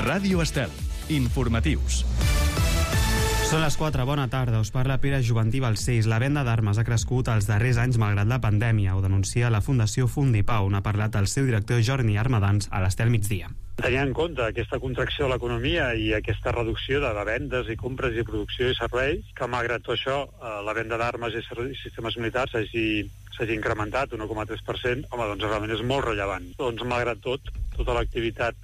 Ràdio Estel. Informatius. Són les 4, bona tarda, us parla Pere Juventí Balcells. La venda d'armes ha crescut els darrers anys malgrat la pandèmia, ho denuncia la Fundació Fundipau. N'ha parlat el seu director Jordi Armadans a l'Estel Migdia. Tenint en compte aquesta contracció de l'economia i aquesta reducció de vendes i compres i producció i serveis, que malgrat tot això la venda d'armes i sistemes militars s'hagi incrementat 1,3%, home, doncs realment és molt rellevant. Doncs malgrat tot, tota l'activitat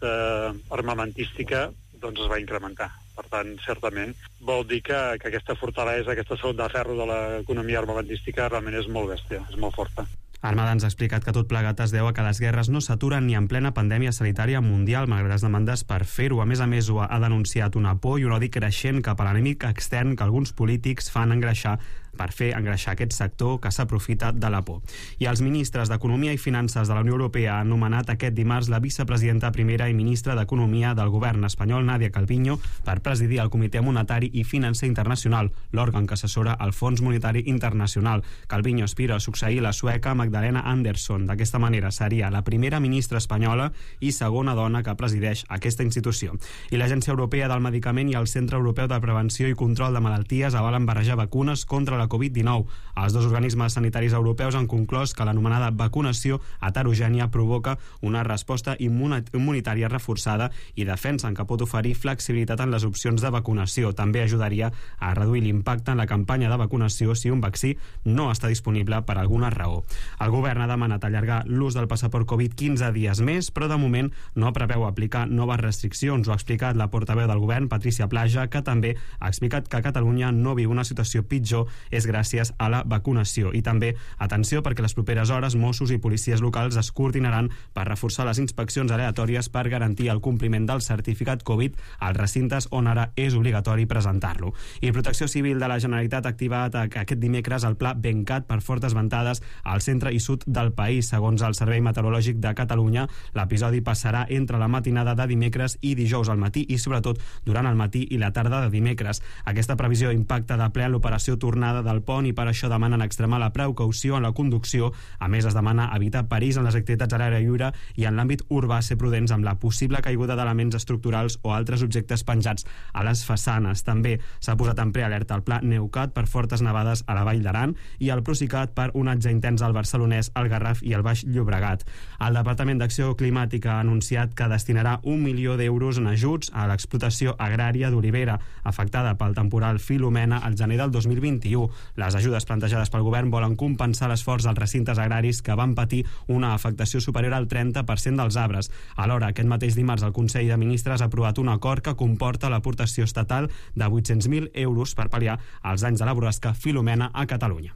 armamentística doncs es va incrementar. Per tant, certament, vol dir que aquesta fortalesa, aquesta salut de ferro de l'economia armamentística realment és molt bèstia, és molt forta. Armadans ha explicat que tot plegat es deu a que les guerres no s'aturen ni en plena pandèmia sanitària mundial, malgrat les demandes per fer-ho. A més, ho ha denunciat una por i un odi creixent cap a l'enemic extern que alguns polítics fan per fer engreixar aquest sector que s'aprofita de la por. I els ministres d'Economia i Finances de la Unió Europea han nomenat aquest dimarts la vicepresidenta primera i ministra d'Economia del govern espanyol, Nadia Calviño, per presidir el Comitè Monetari i Financer Internacional, l'òrgan que assessora el Fons Monetari Internacional. Calviño aspira a succeir la sueca Magdalena Andersson. D'aquesta manera seria la primera ministra espanyola i segona dona que presideix aquesta institució. I l'Agència Europea del Medicament i el Centre Europeu de Prevenció i Control de Malalties avalen barrejar vacunes contra la Covid-19. Els dos organismes sanitaris europeus han conclòs que l'anomenada vacunació heterogènia provoca una resposta immunitària reforçada i defensen que pot oferir flexibilitat en les opcions de vacunació. També ajudaria a reduir l'impacte en la campanya de vacunació si un vaccí no està disponible per alguna raó. El govern ha demanat allargar l'ús del passaport Covid 15 dies més, però de moment no preveu aplicar noves restriccions. Ho ha explicat la portaveu del govern, Patricia Plaja, que també ha explicat que Catalunya no viu una situació pitjor és gràcies a la vacunació. I també, atenció, perquè les properes hores Mossos i policies locals es coordinaran per reforçar les inspeccions aleatòries per garantir el compliment del certificat Covid als recintes on ara és obligatori presentar-lo. I Protecció Civil de la Generalitat ha activat aquest dimecres el pla Bencat per fortes ventades al centre i sud del país. Segons el Servei Meteorològic de Catalunya, l'episodi passarà entre la matinada de dimecres i dijous al matí i sobretot durant el matí i la tarda de dimecres. Aquesta previsió impacta de ple en l'operació tornada del pont i per això demanen extremar la precaució en la conducció. A més, es demana evitar perills en les activitats a l'aire lliure i en l'àmbit urbà ser prudents amb la possible caiguda d'elements estructurals o altres objectes penjats a les façanes. També s'ha posat en prealerta el pla Neucat per fortes nevades a la Vall d'Aran i el Procicat per onatge intens al Barcelonès, al Garraf i al Baix Llobregat. El Departament d'Acció Climàtica ha anunciat que destinarà 1 milió d'euros en ajuts a l'explotació agrària d'olivera afectada pel temporal Filomena al gener del 2021. Les ajudes plantejades pel govern volen compensar l'esforç dels recintes agraris que van patir una afectació superior al 30% dels arbres. Alhora, aquest mateix dimarts el Consell de Ministres ha aprovat un acord que comporta l'aportació estatal de 800.000 euros per pal·liar els danys de la borrasca Filomena a Catalunya.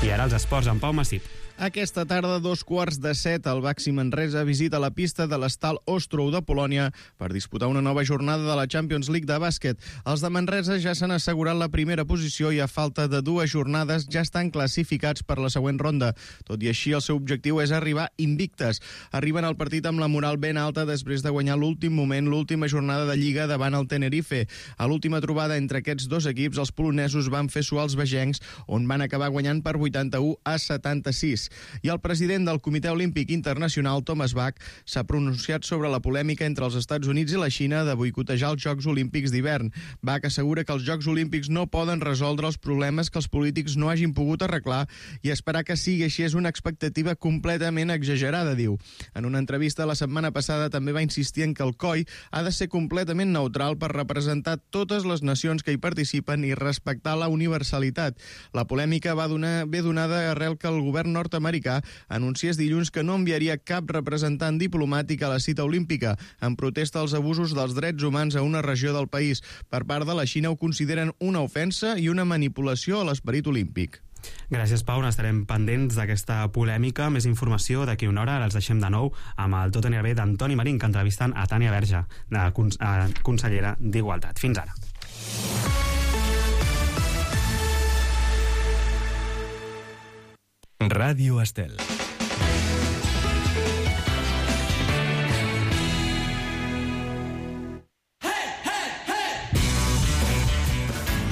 I ara els esports amb Pau Massip. Aquesta tarda, 6:45, el Baxi Manresa visita la pista de l'Estal Ostrou de Polònia per disputar una nova jornada de la Champions League de bàsquet. Els de Manresa ja s'han assegurat la primera posició i a falta de 2 jornades ja estan classificats per la següent ronda. Tot i així, el seu objectiu és arribar invictes. Arriben al partit amb la moral ben alta després de guanyar l'últim moment, l'última jornada de Lliga davant el Tenerife. A l'última trobada entre aquests dos equips, els polonesos van fer suar els vegencs, on van acabar guanyant per 81-76. I el president del Comitè Olímpic Internacional, Thomas Bach, s'ha pronunciat sobre la polèmica entre els Estats Units i la Xina de boicotejar els Jocs Olímpics d'hivern. Bach assegura que els Jocs Olímpics no poden resoldre els problemes que els polítics no hagin pogut arreglar i esperar que sigui així és una expectativa completament exagerada, diu. En una entrevista la setmana passada també va insistir en que el COI ha de ser completament neutral per representar totes les nacions que hi participen i respectar la universalitat. La polèmica ve donada arrel que el govern nord-americà anunciés dilluns que no enviaria cap representant diplomàtic a la cita olímpica en protesta als abusos dels drets humans a una regió del país. Per part de la Xina ho consideren una ofensa i una manipulació a l'esperit olímpic. Gràcies, Pau. Estarem pendents d'aquesta polèmica. Més informació d'aquí una hora. Ara els deixem de nou amb el Tot anirà bé d'Antoni Marín, que entrevistant a Tània Verge, consellera d'Igualtat. Fins ara. Ràdio Estel.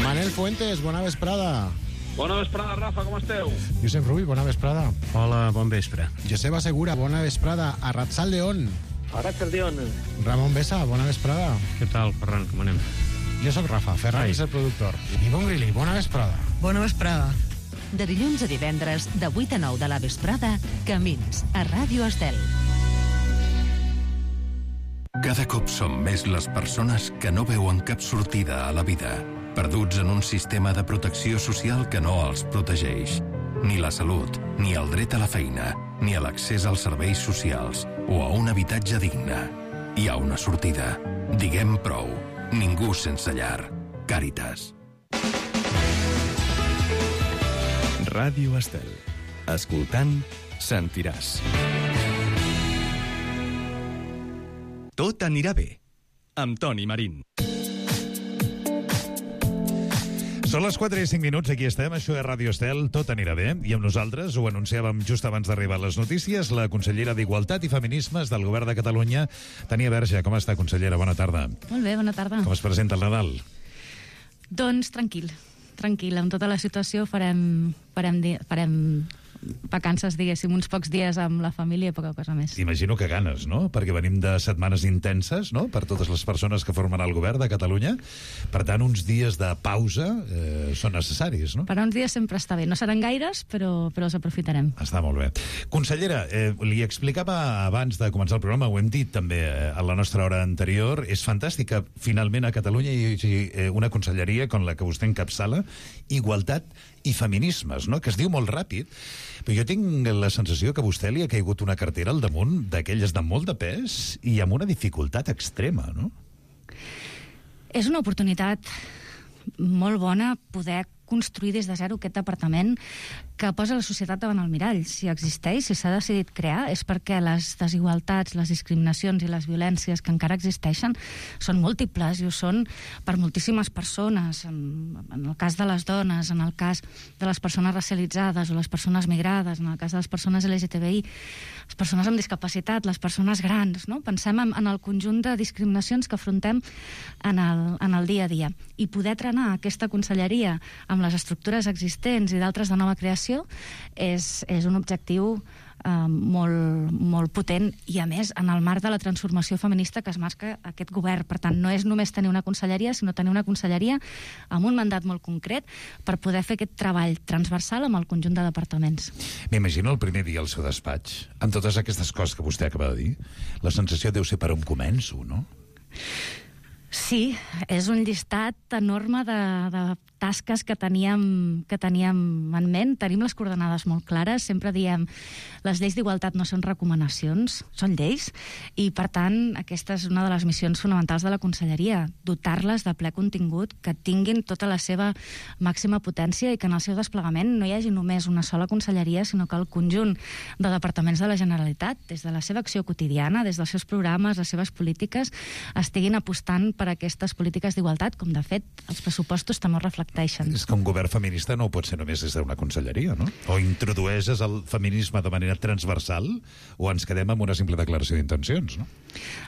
Manel Fuentes, bona vesprada. Bona vesprada, Rafa, com esteu? Josep Rubi, bona vesprada. Hola, bon vespre. Joseba Segura, bona vesprada. A Ratzaldeon. Arratsaldeon. Ramon Besa, bona vesprada. Què tal, Ferran, com anem? Jo sóc Rafa, Ferran és el productor. I Bon Grilli, bona vesprada. Bona vesprada. De dilluns a divendres, de 8 a 9 de la vesprada, Camins, a Ràdio Estel. Cada cop som més les persones que no veuen cap sortida a la vida, perduts en un sistema de protecció social que no els protegeix. Ni la salut, ni el dret a la feina, ni a l'accés als serveis socials o a un habitatge digne. Hi ha una sortida. Diguem prou. Ningú sense llar. Càritas. Ràdio Estel. Escoltant, sentiràs. Tot anirà bé. Amb Toni Marín. Són les 4 i 5 minuts, aquí estem, això és Ràdio Estel, tot anirà bé, i amb nosaltres, ho anunciàvem just abans d'arribar a les notícies, la consellera d'Igualtat i Feminismes del Govern de Catalunya, Tania Verge. Com està, consellera? Bona tarda. Molt bé, bona tarda. Com es presenta el Nadal? Doncs tranquil, amb tota la situació farem vacances, diguéssim, uns pocs dies amb la família i poca cosa més. Imagino que ganes, no? Perquè venim de setmanes intenses, no?, per totes les persones que formen el govern de Catalunya. Per tant, uns dies de pausa són necessaris, no? Per uns dies sempre està bé. No seran gaires, però els aprofitarem. Està molt bé. Consellera, li explicava abans de començar el programa, ho hem dit també a la nostra hora anterior, és fantàstic que finalment a Catalunya hi hagi una conselleria com la que vostè encapçala, Igualtat i Feminismes, no?, que es diu molt ràpid, però jo tinc la sensació que a vostè li ha caigut una cartera al damunt d'aquelles de molt de pes i amb una dificultat extrema, no? És una oportunitat molt bona poder construir des de zero aquest departament que posa la societat davant el mirall. Si existeix, si s'ha decidit crear, és perquè les desigualtats, les discriminacions i les violències que encara existeixen són múltiples i ho són per moltíssimes persones. En el cas de les dones, en el cas de les persones racialitzades o les persones migrades, en el cas de les persones LGTBI, les persones amb discapacitat, les persones grans, no? Pensem en el conjunt de discriminacions que afrontem en el dia a dia. I poder trenar aquesta conselleria amb les estructures existents i d'altres de nova creació és un objectiu molt potent i, a més, en el marc de la transformació feminista que es marca aquest govern. Per tant, no és només tenir una conselleria, sinó tenir una conselleria amb un mandat molt concret per poder fer aquest treball transversal amb el conjunt de departaments. M'imagino el primer dia al seu despatx, amb totes aquestes coses que vostè acaba de dir. La sensació deu ser per on començo, no? Sí, és un llistat enorme de tasques que teníem en ment. Tenim les coordenades molt clares. Sempre diem les lleis d'igualtat no són recomanacions, són lleis. I, per tant, aquesta és una de les missions fonamentals de la conselleria, dotar-les de ple contingut, que tinguin tota la seva màxima potència i que en el seu desplegament no hi hagi només una sola conselleria, sinó que el conjunt de departaments de la Generalitat, des de la seva acció quotidiana, des dels seus programes, les seves polítiques, estiguin apostant per aquestes polítiques d'igualtat, com de fet els pressupostos també ho reflecteixen. És que un govern feminista no pot ser només des d'una conselleria, no? O introdueixes el feminisme de manera transversal o ens quedem amb una simple declaració d'intencions, no?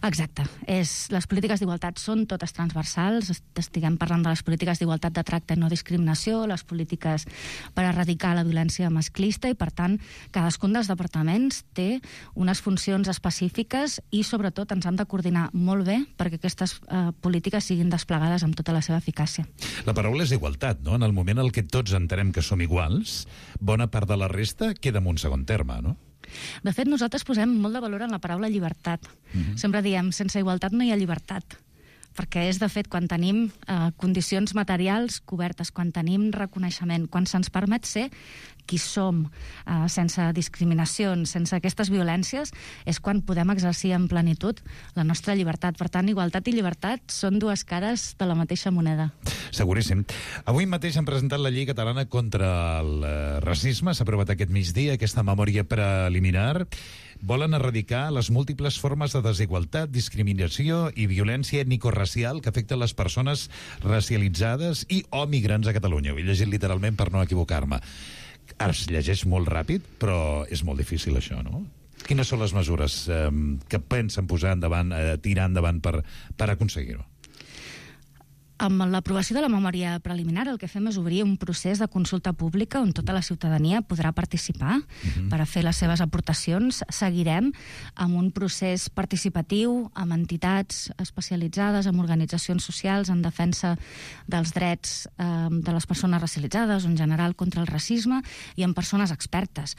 Exacte. Les polítiques d'igualtat són totes transversals. Estiguem parlant de les polítiques d'igualtat de tracte i no discriminació, les polítiques per erradicar la violència masclista i, per tant, cadascun dels departaments té unes funcions específiques i, sobretot, ens han de coordinar molt bé perquè aquestes polítiques siguin desplegades amb tota la seva eficàcia. La paraula és igualtat, no? En el moment en què tots entenem que som iguals, bona part de la resta queda en un segon terme, no? De fet, nosaltres posem molt de valor en la paraula llibertat. Sempre diem, sense igualtat no hi ha llibertat. Perquè és, de fet, quan tenim condicions materials cobertes, quan tenim reconeixement, quan se'ns permet ser qui som, sense discriminacions, sense aquestes violències, és quan podem exercir en plenitud la nostra llibertat. Per tant, igualtat i llibertat són dues cares de la mateixa moneda. Seguríssim. Avui mateix han presentat la llei catalana contra el racisme. S'ha aprovat aquest migdia aquesta memòria preliminar. Volen erradicar les múltiples formes de desigualtat, discriminació i violència ètnico-racial que afecten les persones racialitzades i o migrants a Catalunya. Ho he llegit literalment per no equivocar-me. Ara es llegeix molt ràpid, però és molt difícil això, no? Quines són les mesures que pensen posar endavant, tirar endavant per aconseguir-ho? Amb l'aprovació de la memòria preliminar el que fem és obrir un procés de consulta pública on tota la ciutadania podrà participar per a fer les seves aportacions. Seguirem amb un procés participatiu amb entitats especialitzades, amb organitzacions socials en defensa dels drets de les persones racialitzades o en general contra el racisme i amb persones expertes.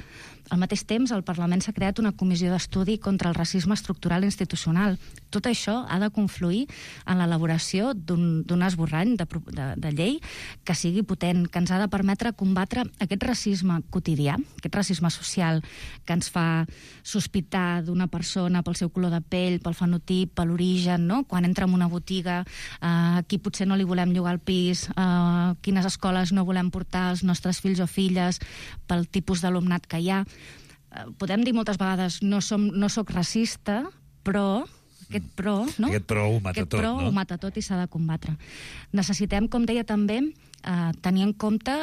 Al mateix temps, al Parlament s'ha creat una comissió d'estudi contra el racisme estructural i institucional. Tot això ha de confluir en l'elaboració d'un esborrany de llei que sigui potent, que ens ha de permetre combatre aquest racisme quotidià, aquest racisme social que ens fa sospitar d'una persona pel seu color de pell, pel fenotip, per l'origen, no? Quan entra en una botiga, aquí potser no li volem llogar el pis, quines escoles no volem portar els nostres fills o filles pel tipus d'alumnat que hi ha. Podem dir moltes vegades no soc racista, però aquest pro ho mata tot i s'ha de combatre. Necessitem, com deia també, tenir en compte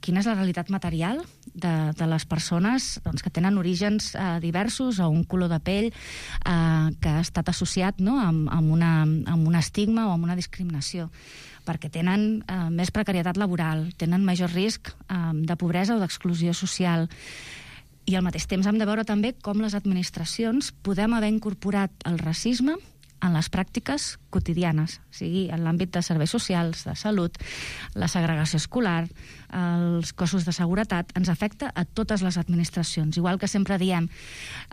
quina és la realitat material de les persones que tenen orígens diversos o un color de pell que ha estat associat amb un estigma o amb una discriminació, perquè tenen més precarietat laboral, tenen major risc de pobresa o d'exclusió social. I al mateix temps hem de veure també com les administracions podem haver incorporat el racisme en les pràctiques quotidianes, sigui en l'àmbit de serveis socials, de salut, la segregació escolar, els cossos de seguretat, ens afecta a totes les administracions. Igual que sempre diem,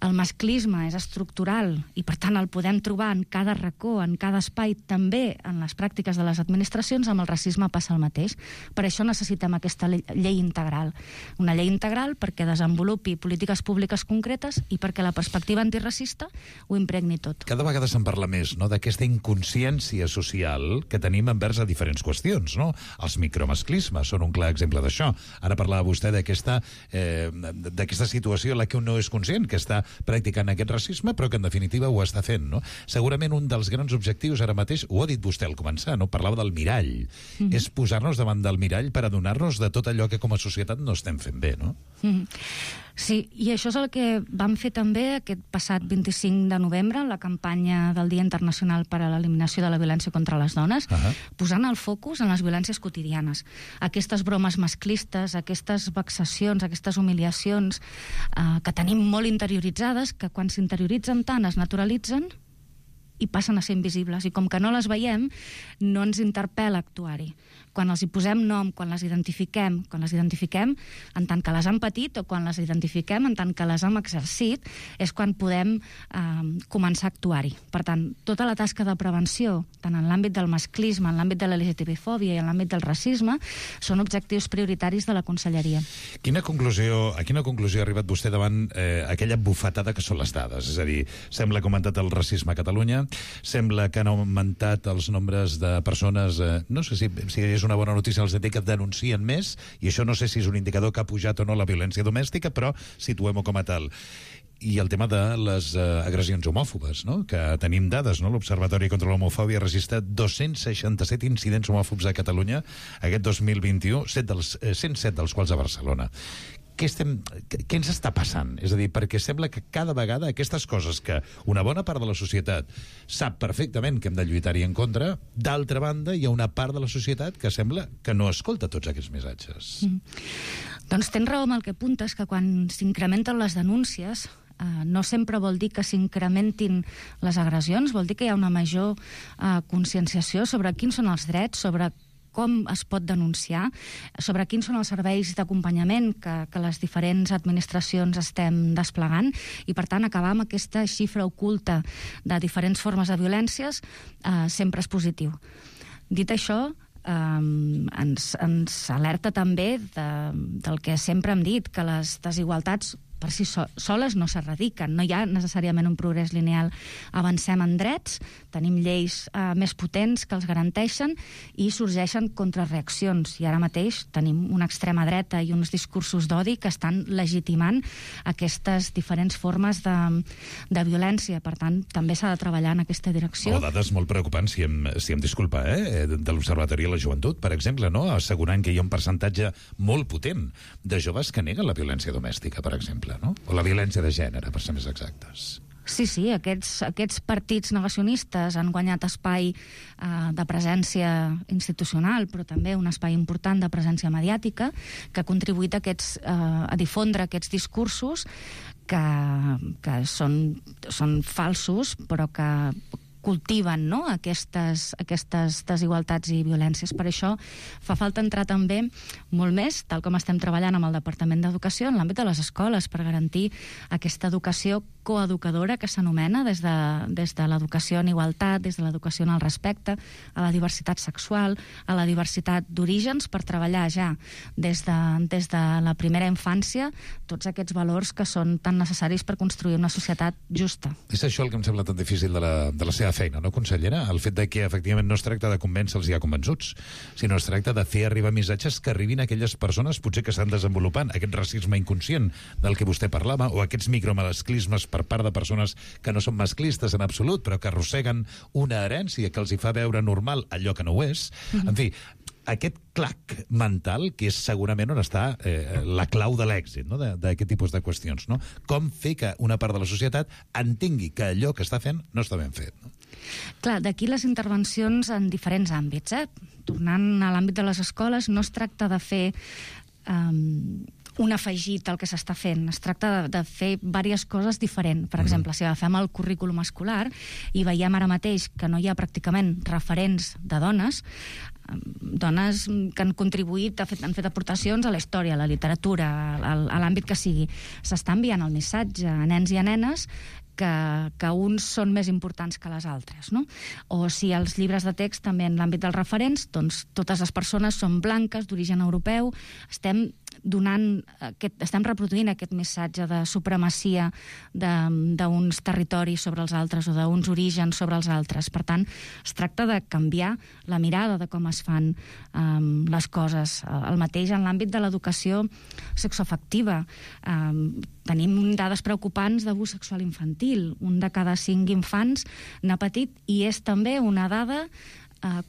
el masclisme és estructural i per tant el podem trobar en cada racó, en cada espai, també en les pràctiques de les administracions, amb el racisme passa el mateix. Per això necessitem aquesta llei integral. Una llei integral perquè desenvolupi polítiques públiques concretes i perquè la perspectiva antiracista ho impregni tot. Cada vegada se'n parla més d'aquesta inconsciència social que tenim envers a diferents qüestions, no? Els micromasclismes són un clar exemple d'això. Ara parlava vostè d'aquesta situació en la que un no és conscient que està practicant aquest racisme, però que en definitiva ho està fent, no? Segurament un dels grans objectius ara mateix, ho ha dit vostè al començar, no? Parlava del mirall. És posar-nos davant del mirall per adonar-nos de tot allò que com a societat no estem fent bé, no? Sí, i això és el que vam fer també aquest passat 25 de novembre, la campanya del Dia Internacional per a l'Eliminació de la Violència contra les Dones, posant el focus en les violències quotidianes. Aquestes bromes masclistes, aquestes vexacions, aquestes humiliacions que tenim molt interioritzades, que quan s'interioritzen tant es naturalitzen i passen a ser invisibles. I com que no les veiem, no ens interpel·la actuar-hi. Quan els hi posem nom, quan les identifiquem en tant que les han patit o quan les identifiquem en tant que les hem exercit, és quan podem començar a actuar-hi. Per tant, tota la tasca de prevenció, tant en l'àmbit del masclisme, en l'àmbit de la LGTB-fòbia i en l'àmbit del racisme, són objectius prioritaris de la Conselleria. A quina conclusió ha arribat vostè davant aquella bufetada que són les dades? És a dir, sembla que ha augmentat el racisme a Catalunya, sembla que han augmentat els nombres de persones, no sé si és una bona notícia els que denuncien més, i això no sé si és un indicador que ha pujat o no la violència domèstica, però situem-ho com a tal. I el tema de les agressions homòfobes, no? Que tenim dades, no? L'Observatori contra l'Homofòbia ha registrat 267 incidents homòfobs a Catalunya aquest 2021, 107 dels quals a Barcelona. Què ens està passant? És a dir, perquè sembla que cada vegada aquestes coses que una bona part de la societat sap perfectament que hem de lluitar-hi en contra, d'altra banda hi ha una part de la societat que sembla que no escolta tots aquests missatges. Doncs tens raó amb el que apuntes, que quan s'incrementen les denúncies no sempre vol dir que s'incrementin les agressions, vol dir que hi ha una major conscienciació sobre quins són els drets, sobre com es pot denunciar, sobre quins són els serveis d'acompanyament que les diferents administracions estem desplegant i, per tant, acabar amb aquesta xifra oculta de diferents formes de violències sempre és positiu. Dit això, ens alerta també del que sempre hem dit, que les desigualtats per si soles no s'erradiquen, no hi ha necessàriament un progrés lineal. Avancem en drets, tenim lleis més potents que els garanteixen i sorgeixen contrarreaccions. I ara mateix tenim una extrema dreta i uns discursos d'odi que estan legitimant aquestes diferents formes de violència. Per tant, també s'ha de treballar en aquesta direcció. O dades molt preocupants, si em disculpa, de l'Observatori de la Joventut, per exemple, no? Assegurant que hi ha un percentatge molt potent de joves que neguen la violència domèstica, per exemple. No? O la violència de gènere, per ser més exactes. Sí, aquests partits negacionistes han guanyat espai de presència institucional, però també un espai important de presència mediàtica, que ha contribuït a difondre aquests discursos que són falsos, però que cultiven, no?, aquestes desigualtats i violències. Per això fa falta entrar també molt més, tal com estem treballant amb el Departament d'Educació, en l'àmbit de les escoles, per garantir aquesta educació coeducadora que s'anomena des de l'educació en igualtat, des de l'educació en el respecte, a la diversitat sexual, a la diversitat d'orígens, per treballar ja des de la primera infància tots aquests valors que són tan necessaris per construir una societat justa. És això el que em sembla tan difícil de la seva feina, no, consellera? El fet de que, efectivament, no es tracta de convèncer els ja convençuts, sinó es tracta de fer arribar missatges que arribin a aquelles persones potser que estan desenvolupant aquest racisme inconscient del que vostè parlava, o aquests micromasclismes per part de persones que no són masclistes en absolut, però que arrosseguen una herència que els hi fa veure normal allò que no ho és. En fi, aquest clac mental, que és segurament on està la clau de l'èxit, no?, d'aquest tipus de qüestions, no? Com fer que una part de la societat entengui que allò que està fent no està ben fet, no? Clar, d'aquí les intervencions en diferents àmbits. Tornant a l'àmbit de les escoles, no es tracta de fer un afegit al que s'està fent. Es tracta de fer diverses coses diferents. Per exemple, si agafem el currículum escolar i veiem ara mateix que no hi ha pràcticament referents de dones que han contribuït, han fet aportacions a la història, a la literatura, a l'àmbit que sigui. S'està enviant el missatge a nens i a nenes que uns són més importants que les altres, no? O si els llibres de text també en l'àmbit dels referents, doncs totes les persones són blanques, d'origen europeu, estem reproduint aquest missatge de supremacia d'uns territoris sobre els altres o d'uns orígens sobre els altres. Per tant, es tracta de canviar la mirada de com es fan les coses. El mateix en l'àmbit de l'educació sexoafectiva. Tenim dades preocupants d'abús sexual infantil. Un de cada 5 infants n'ha patit, i és també una dada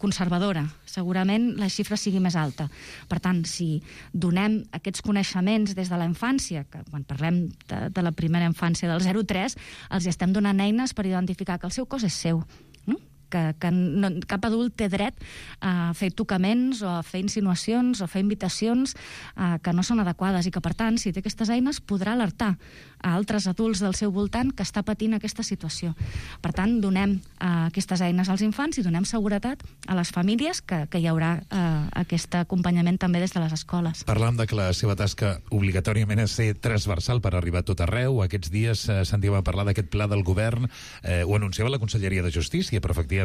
conservadora. Segurament la xifra sigui més alta. Per tant, si donem aquests coneixements des de la infància, que quan parlem de la primera infància del 0-3, els estem donant eines per identificar que el seu cos és seu, no? Que cap adult té dret a fer tocaments o a fer insinuacions o a fer invitacions que no són adequades, i que, per tant, si té aquestes eines, podrà alertar a altres adults del seu voltant que està patint aquesta situació. Per tant, donem aquestes eines als infants i donem seguretat a les famílies que hi haurà aquest acompanyament també des de les escoles. Parlàvem de que la seva tasca obligatòriament és ser transversal per arribar a tot arreu. Aquests dies sentíem a parlar d'aquest pla del govern, ho anunciava la Conselleria de Justícia, però efectivament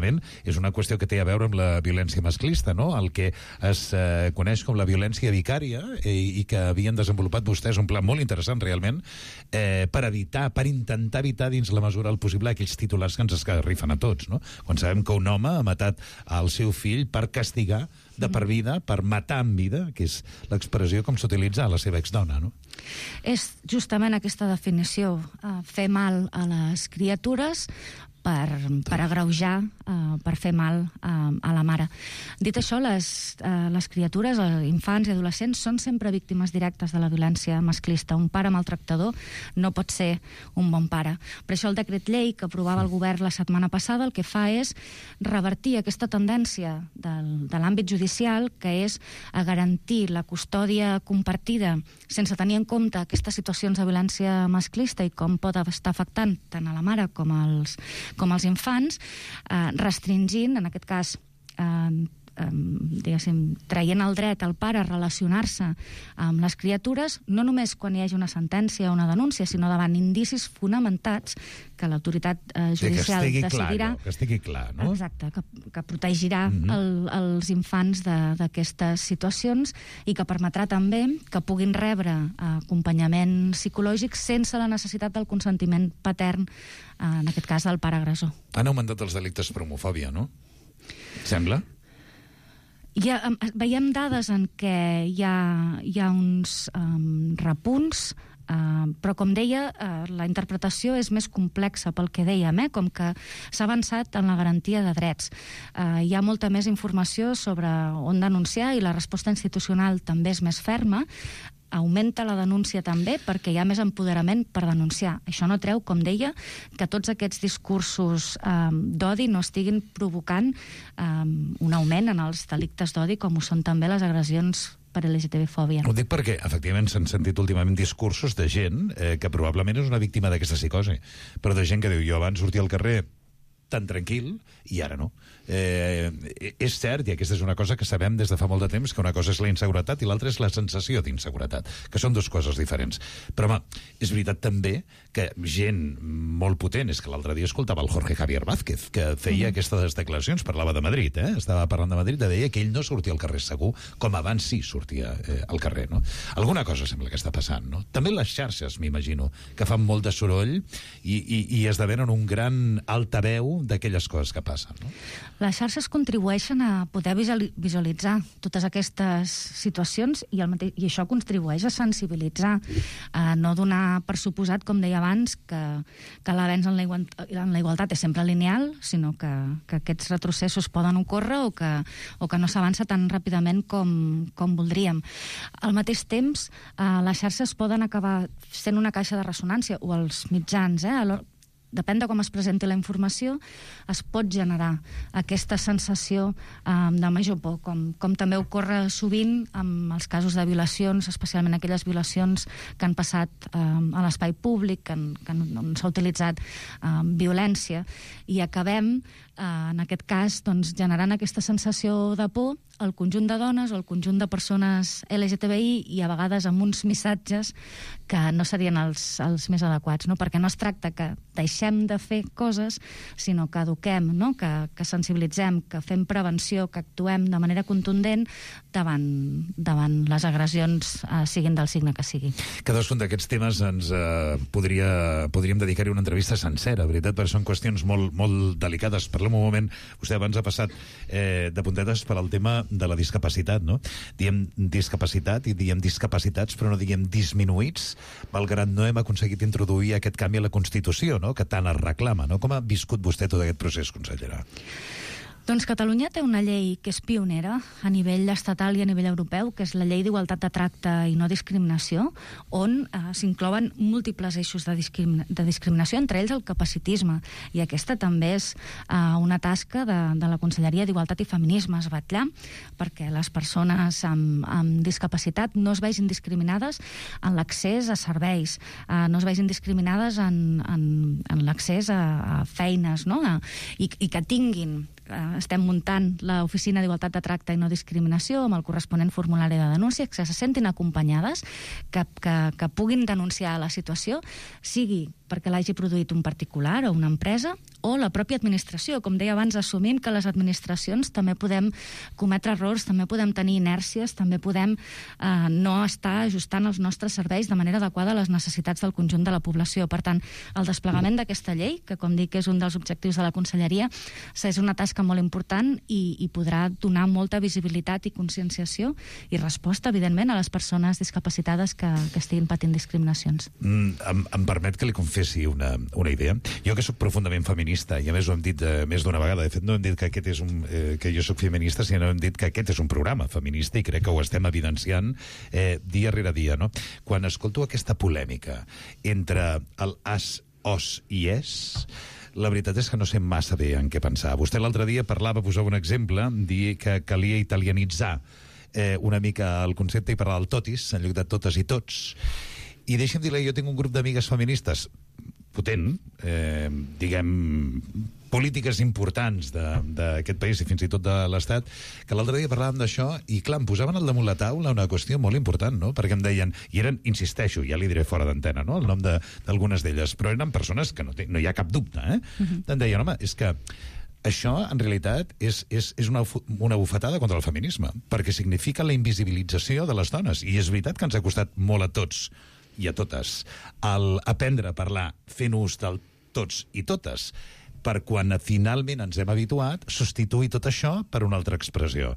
és una qüestió que té a veure amb la violència masclista, no? El que es coneix com la violència vicària, i que havien desenvolupat vostès un pla molt interessant realment per intentar evitar dins la mesura del possible aquells titulars que ens esgarrifen a tots, no? Quan sabem que un home ha matat el seu fill per castigar de per vida, per matar en vida, que és l'expressió com s'utilitza a la seva exdona, no? És justament aquesta definició, fer mal a les criatures per agreujar, per fer mal a la mare. Dit això, les criatures, infants i adolescents, són sempre víctimes directes de la violència masclista. Un pare maltractador no pot ser un bon pare. Per això el decret llei que aprovava el govern la setmana passada el que fa és revertir aquesta tendència de l'àmbit judicial, que és a garantir la custòdia compartida sense tenir en compte aquestes situacions de violència masclista i com pot estar afectant tant a la mare com als infants, restringint, en aquest cas, traient el dret al pare a relacionar-se amb les criatures, no només quan hi hagi una sentència o una denúncia, sinó davant indicis fonamentats que l'autoritat judicial decidirà. Que estigui clar, no? Exacte, que protegirà els infants d'aquestes situacions i que permetrà també que puguin rebre acompanyament psicològic sense la necessitat del consentiment patern, en aquest cas del pare agressor. Han augmentat els delictes per homofòbia, no? Sembla? Veiem dades en què hi ha uns repunts, però, com deia, la interpretació és més complexa pel que dèiem, com que s'ha avançat en la garantia de drets. Hi ha molta més informació sobre on denunciar i la resposta institucional també és més ferma. augmenta la denúncia també perquè hi ha més empoderament per denunciar. Això no treu, com deia, que tots aquests discursos d'odi no estiguin provocant un augment en els delictes d'odi, com ho són també les agressions per LGTB-fòbia. Ho dic perquè, efectivament, s'han sentit últimament discursos de gent que probablement és una víctima d'aquesta psicosi, però de gent que diu, jo abans sortia al carrer tan tranquil, i ara no. És cert, i aquesta és una cosa que sabem des de fa molt de temps, que una cosa és la inseguretat i l'altra és la sensació d'inseguretat, que són dues coses diferents. Però, home, és veritat també que gent molt potent, és que l'altre dia escoltava el Jorge Javier Vázquez, que feia aquestes declaracions, parlava de Madrid, estava parlant de Madrid, deia que ell no sortia al carrer segur, com abans sí sortia al carrer, no? Alguna cosa sembla que està passant, no? També les xarxes, m'imagino, que fan molt de soroll i esdevenen un gran altaveu d'aquelles coses que passen, no? Les xarxes contribueixen a poder visualitzar totes aquestes situacions i això contribueix a sensibilitzar, a no donar per suposat, com deia abans, que l'avenç en la igualtat és sempre lineal, sinó que aquests retrocessos poden ocórrer o que no s'avança tan ràpidament com voldríem. Al mateix temps, les xarxes poden acabar sent una caixa de ressonància, o els mitjans, depèn de com es presenti la informació, es pot generar aquesta sensació de major por, com també ocorre sovint amb els casos de violacions, especialment aquelles violacions que han passat a l'espai públic, on s'ha utilitzat violència, i acabem, en aquest cas, generant aquesta sensació de por al conjunt de dones o al conjunt de persones LGTBI, i a vegades amb uns missatges que no serien els més adequats, no? Perquè no es tracta que deixem de fer coses, sinó que eduquem, no? Que sensibilitzem, que fem prevenció, que actuem de manera contundent davant les agressions, siguin del signe que sigui. Cadascun d'aquests temes podríem dedicar-hi una entrevista sencera, veritat, perquè són qüestions molt, molt delicades. Parlem un moment, vostè abans ha passat de puntetes per al tema de la discapacitat, no? Diem discapacitat i diem discapacitats, però no diem disminuïts, malgrat no hem aconseguit introduir aquest canvi a la Constitució, no? Que tant es reclama, no? Com ha viscut vostè tot aquest procés, consellera? Doncs Catalunya té una llei que és pionera a nivell estatal i a nivell europeu, que és la Llei d'Igualtat de Tracte i No Discriminació, on s'inclouen múltiples eixos de discriminació, entre ells el capacitisme. I aquesta també és una tasca de la Conselleria d'Igualtat i Feminismes, vetllar perquè les persones amb discapacitat no es vegin discriminades en l'accés a serveis, no es vegin discriminades en l'accés a feines, no? I que tinguin... Estem muntant l'Oficina d'Igualtat de Tracte i No Discriminació amb el corresponent formulari de denúncia, que se sentin acompanyades, que puguin denunciar la situació, sigui perquè l'hagi produït un particular o una empresa, o la pròpia administració. Com deia abans, assumim que les administracions també podem cometre errors, també podem tenir inèrcies, també podem no estar ajustant els nostres serveis de manera adequada a les necessitats del conjunt de la població. Per tant, el desplegament d'aquesta llei, que com dic és un dels objectius de la Conselleria, és una tasca molt important i podrà donar molta visibilitat i conscienciació i resposta, evidentment, a les persones discapacitades que estiguin patint discriminacions. Em permet que li confessi una idea. Jo que soc profundament feminista, i a més ho hem dit més d'una vegada, de fet no hem dit que aquest és que jo soc feminista, sinó hem dit que aquest és un programa feminista, i crec que ho estem evidenciant dia rere dia, no? Quan escolto aquesta polèmica entre el as, os i es, la veritat és que no sé massa bé en què pensar. Vostè l'altre dia posava un exemple, dir que calia italianitzar una mica el concepte i parlar del totis en lloc de totes i tots. I deixa'm dir-li, jo tinc un grup d'amigues feministes potent, diguem, polítiques importants d'aquest país i fins i tot de l'Estat, que l'altre dia parlàvem d'això i, clar, em posaven al damunt la taula una qüestió molt important, no? Perquè em deien, i eren, insisteixo, ja li diré fora d'antena, no?, el nom d'algunes d'elles, però eren persones que no hi ha cap dubte, Em deien, home, és que això, en realitat, és una bufetada contra el feminisme, perquè significa la invisibilització de les dones, i és veritat que ens ha costat molt a tots i a totes aprendre a parlar fent ús del tots i totes, per quan finalment ens hem habituat substituir tot això per una altra expressió.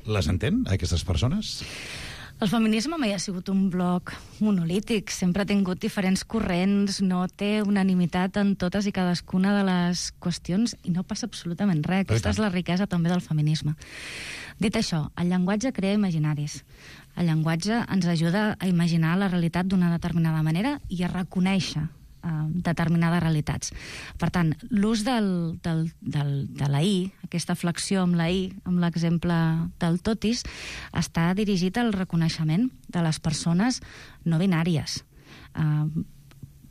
Les entén, aquestes persones? El feminisme mai ha sigut un bloc monolític, sempre ha tingut diferents corrents, no té unanimitat en totes i cadascuna de les qüestions i no passa absolutament res. Aquesta és la riquesa també del feminisme. Dit això, el llenguatge crea imaginaris. El llenguatge ens ajuda a imaginar la realitat d'una determinada manera i a reconèixer determinades realitats. Per tant, l'ús de la I, aquesta flexió amb la I, amb l'exemple del totis, està dirigit al reconeixement de les persones no binàries.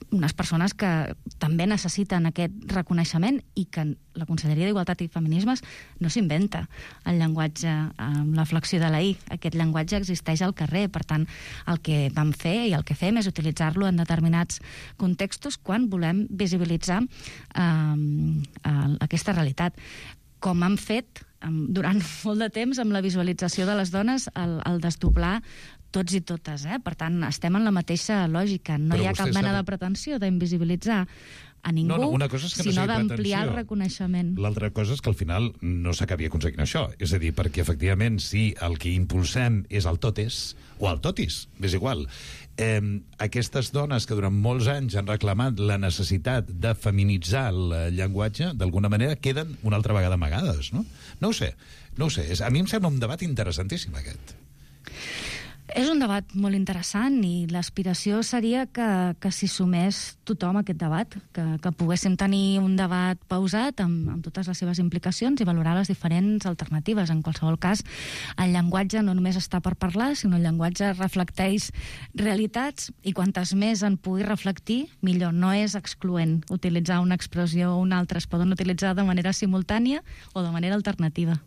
Unes persones que també necessiten aquest reconeixement i que la Conselleria d'Igualtat i Feminismes no s'inventa el llenguatge amb la flexió de la I. Aquest llenguatge existeix al carrer. Per tant, el que vam fer i el que fem és utilitzar-lo en determinats contextos quan volem visibilitzar aquesta realitat. Com han fet durant molt de temps amb la visualització de les dones, el desdoblar tots i totes. Per tant, estem en la mateixa lògica. No hi ha cap mena de pretensió d'invisibilitzar a ningú, sinó d'ampliar el reconeixement. L'altra cosa és que al final no s'acabi aconseguint això. És a dir, perquè efectivament si el que impulsem és el totes o el totis, és igual, aquestes dones que durant molts anys han reclamat la necessitat de feminitzar el llenguatge, d'alguna manera queden una altra vegada amagades, no? No ho sé. A mi em sembla un debat interessantíssim, aquest. És un debat molt interessant i l'aspiració seria que s'hi sumés tothom a aquest debat, que poguéssim tenir un debat pausat amb totes les seves implicacions i valorar les diferents alternatives. En qualsevol cas, el llenguatge no només està per parlar, sinó el llenguatge reflecteix realitats i quantes més en pugui reflectir, millor. No és excloent utilitzar una expressió o una altra. Es poden utilitzar de manera simultània o de manera alternativa.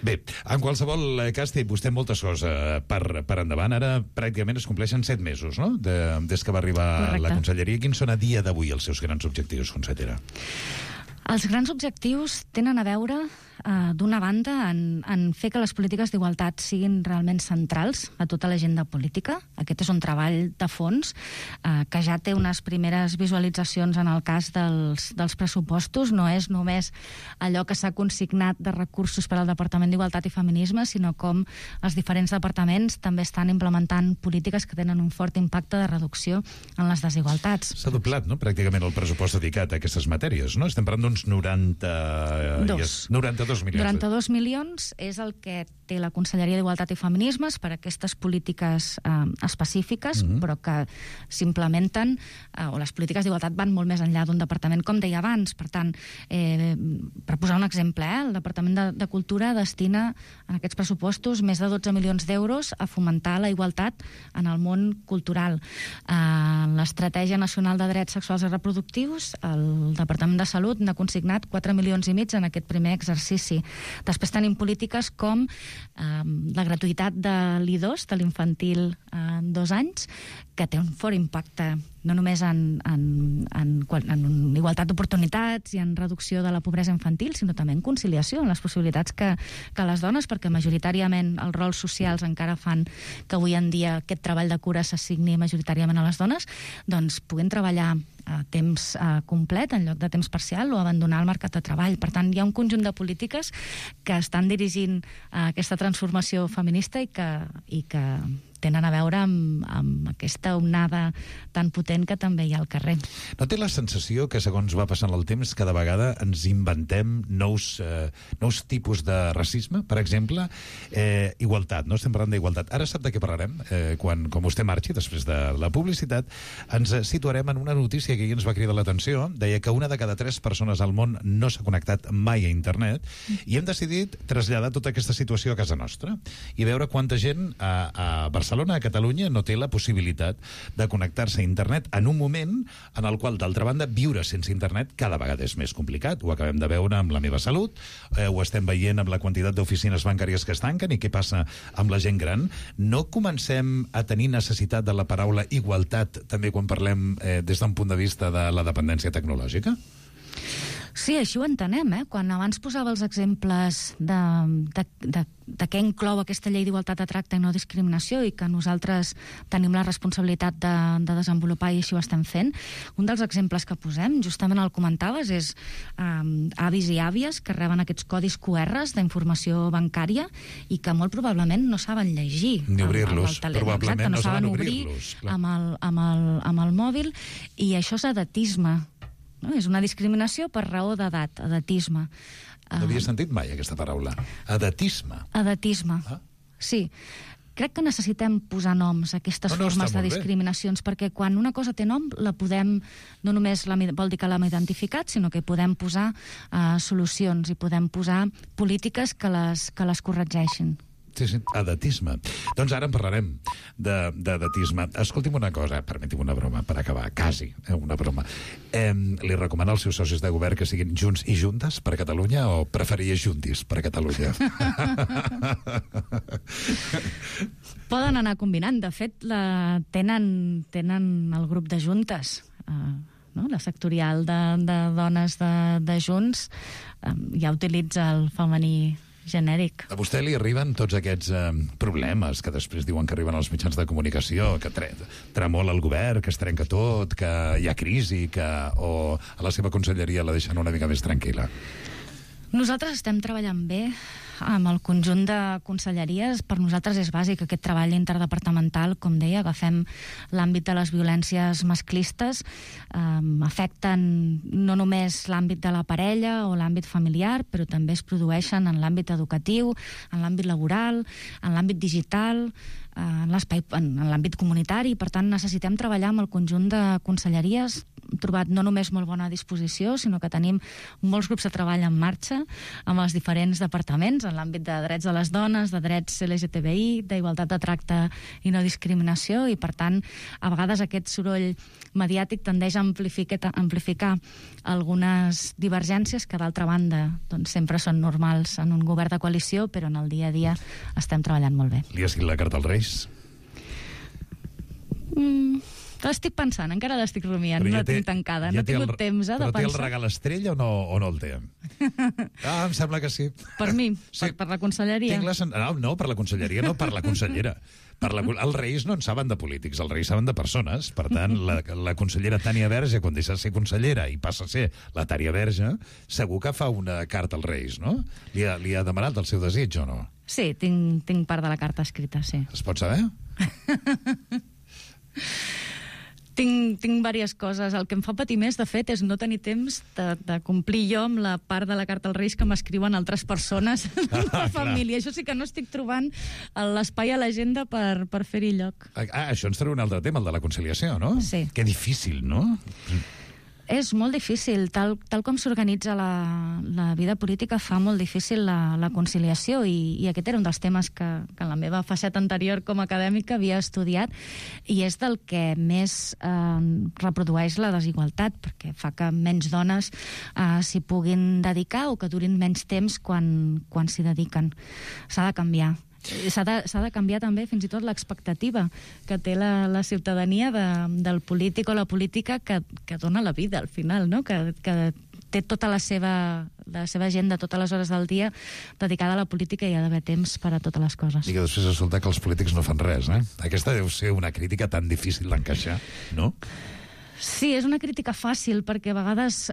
Bé, en qualsevol cas té vostè moltes coses per endavant. Ara pràcticament es compleixen 7 mesos, no?, des que va arribar la Conselleria. Quins són a dia d'avui els seus grans objectius, consellera? Els grans objectius tenen a veure, d'una banda, en fer que les polítiques d'igualtat siguin realment centrals a tota l'agenda política. Aquest és un treball de fons que ja té unes primeres visualitzacions en el cas dels pressupostos. No és només allò que s'ha consignat de recursos per al Departament d'Igualtat i Feminismes, sinó com els diferents departaments també estan implementant polítiques que tenen un fort impacte de reducció en les desigualtats. S'ha doblat, no?, pràcticament el pressupost dedicat a aquestes matèries, no? Estem parlant d'uns 92 milions. 92 milions és el que té la Conselleria d'Igualtat i Feminismes per a aquestes polítiques específiques, però que s'implementen, o les polítiques d'igualtat van molt més enllà d'un departament, com deia abans. Per tant, per posar un exemple, el Departament de Cultura destina en aquests pressupostos més de 12 milions d'euros a fomentar la igualtat en el món cultural. L'Estratègia Nacional de Drets Sexuals i Reproductius, el Departament de Salut n'ha consignat 4,5 milions en aquest primer exercici. Després tenim polítiques com la gratuïtat de l'I2, de l'infantil 2 anys, que té un fort impacte no només en igualtat d'oportunitats i en reducció de la pobresa infantil, sinó també en conciliació, en les possibilitats que les dones, perquè majoritàriament els rols socials encara fan que avui en dia aquest treball de cura s'assigni majoritàriament a les dones, doncs puguin treballar a temps complet en lloc de temps parcial o abandonar el mercat de treball. Per tant, hi ha un conjunt de polítiques que estan dirigint aquesta transformació feminista i que tenen a veure amb aquesta onada tan potent que també hi ha al carrer. No té la sensació que, segons va passant el temps, cada vegada ens inventem nous tipus de racisme? Per exemple, igualtat, no estem parlant d'igualtat. Ara sap de què parlarem? Quan vostè marxi, després de la publicitat, ens situarem en una notícia que ahir ens va cridar l'atenció. Deia que 1 de cada 3 persones al món no s'ha connectat mai a internet i hem decidit traslladar tota aquesta situació a casa nostra i veure quanta gent a Barcelona, a Catalunya, no té la possibilitat de connectar-se a internet en un moment en el qual, d'altra banda, viure sense internet cada vegada és més complicat. Ho acabem de veure amb La Meva Salut, ho estem veient amb la quantitat d'oficines bancàries que es tanquen i què passa amb la gent gran. No comencem a tenir necessitat de la paraula igualtat també quan parlem des d'un punt de vista de la dependència tecnològica? Sí, així ho entenem, Quan abans posava els exemples de què inclou aquesta llei d'igualtat de tracte i no discriminació i que nosaltres tenim la responsabilitat de desenvolupar i així ho estem fent, un dels exemples que posem, justament el comentaves, és avis i àvies que reben aquests codis QRs d'informació bancària i que molt probablement no saben llegir. Ni obrir-los, probablement no saben obrir-los amb el mòbil, i això és edatisme. No? És una discriminació per raó d'edat, edatisme. No havia sentit mai aquesta paraula. Edatisme. Edatisme, sí. crec que necessitem posar noms a aquestes formes de discriminacions, perquè quan una cosa té nom, la podem, no només vol dir que l'hem identificat, sinó que podem posar solucions i podem posar polítiques que les corregeixin. Sí, edatisme. Doncs ara en parlarem d'edatisme. Escolti'm una cosa, permeti'm una broma per acabar, quasi, una broma. Li recomana als seus socis de govern que siguin Junts i Juntes per Catalunya o preferia Juntis per Catalunya? Poden anar combinant. De fet, tenen el grup de Juntes, la sectorial de dones de Junts, ja utilitza el femení genèric. A vostè li arriben tots aquests problemes que després diuen que arriben als mitjans de comunicació, que tremola el govern, que es trenca tot, que hi ha crisi, o a la seva conselleria la deixen una mica més tranquil·la? Nosaltres estem treballant bé amb el conjunt de conselleries. Per nosaltres és bàsic aquest treball interdepartamental, com deia, agafem l'àmbit de les violències masclistes, afecten no només l'àmbit de la parella o l'àmbit familiar, però també es produeixen en l'àmbit educatiu, en l'àmbit laboral, en l'àmbit digital, en l'àmbit comunitari. Per tant, necessitem treballar amb el conjunt de conselleries. Hem trobat no només molt bona disposició, sinó que tenim molts grups de treball en marxa amb els diferents departaments, en l'àmbit de drets de les dones, de drets LGTBI, d'igualtat de tracte i no discriminació, i per tant, a vegades aquest soroll mediàtic tendeix a amplificar algunes divergències que, d'altra banda, doncs, sempre són normals en un govern de coalició, però en el dia a dia estem treballant molt bé. Li ha escrit la carta als Reis? L'estic pensant, encara l'estic rumiant, no la tinc tancada, no he tingut temps de pensar. Però té el regal estrella o no el té? Em sembla que sí. Per mi? Sí. Per la conselleria? No, per la conselleria no, per la consellera. Els Reis no en saben de polítics, els Reis saben de persones. Per tant, la consellera Tània Verge, quan deixa de ser consellera i passa a ser la Tània Verge, segur que fa una carta als Reis, no? Li ha demanat el seu desig o no? Sí, tinc part de la carta escrita, sí. Es pot saber? Tinc diverses coses. El que em fa patir més, de fet, és no tenir temps de complir jo amb la part de la carta als Reis que m'escriuen altres persones de la família. Això sí que no estic trobant l'espai a l'agenda per fer-hi lloc. Això ens treu un altre tema, el de la conciliació, no? Sí. Que difícil, no? És molt difícil. Tal com s'organitza la vida política fa molt difícil la conciliació, i aquest era un dels temes que en la meva faceta anterior com a acadèmica havia estudiat, i és del que més reprodueix la desigualtat, perquè fa que menys dones s'hi puguin dedicar o que durin menys temps quan s'hi dediquen. S'ha de canviar. S'ha de canviar també fins i tot l'expectativa que té la ciutadania del polític o la política que dona la vida al final, no? Que té tota la seva agenda, totes les hores del dia dedicada a la política, i hi ha d'haver temps per a totes les coses. I que després resulta que els polítics no fan res, eh? Aquesta deu ser una crítica tan difícil d'encaixar, no? Sí, és una crítica fàcil, perquè a vegades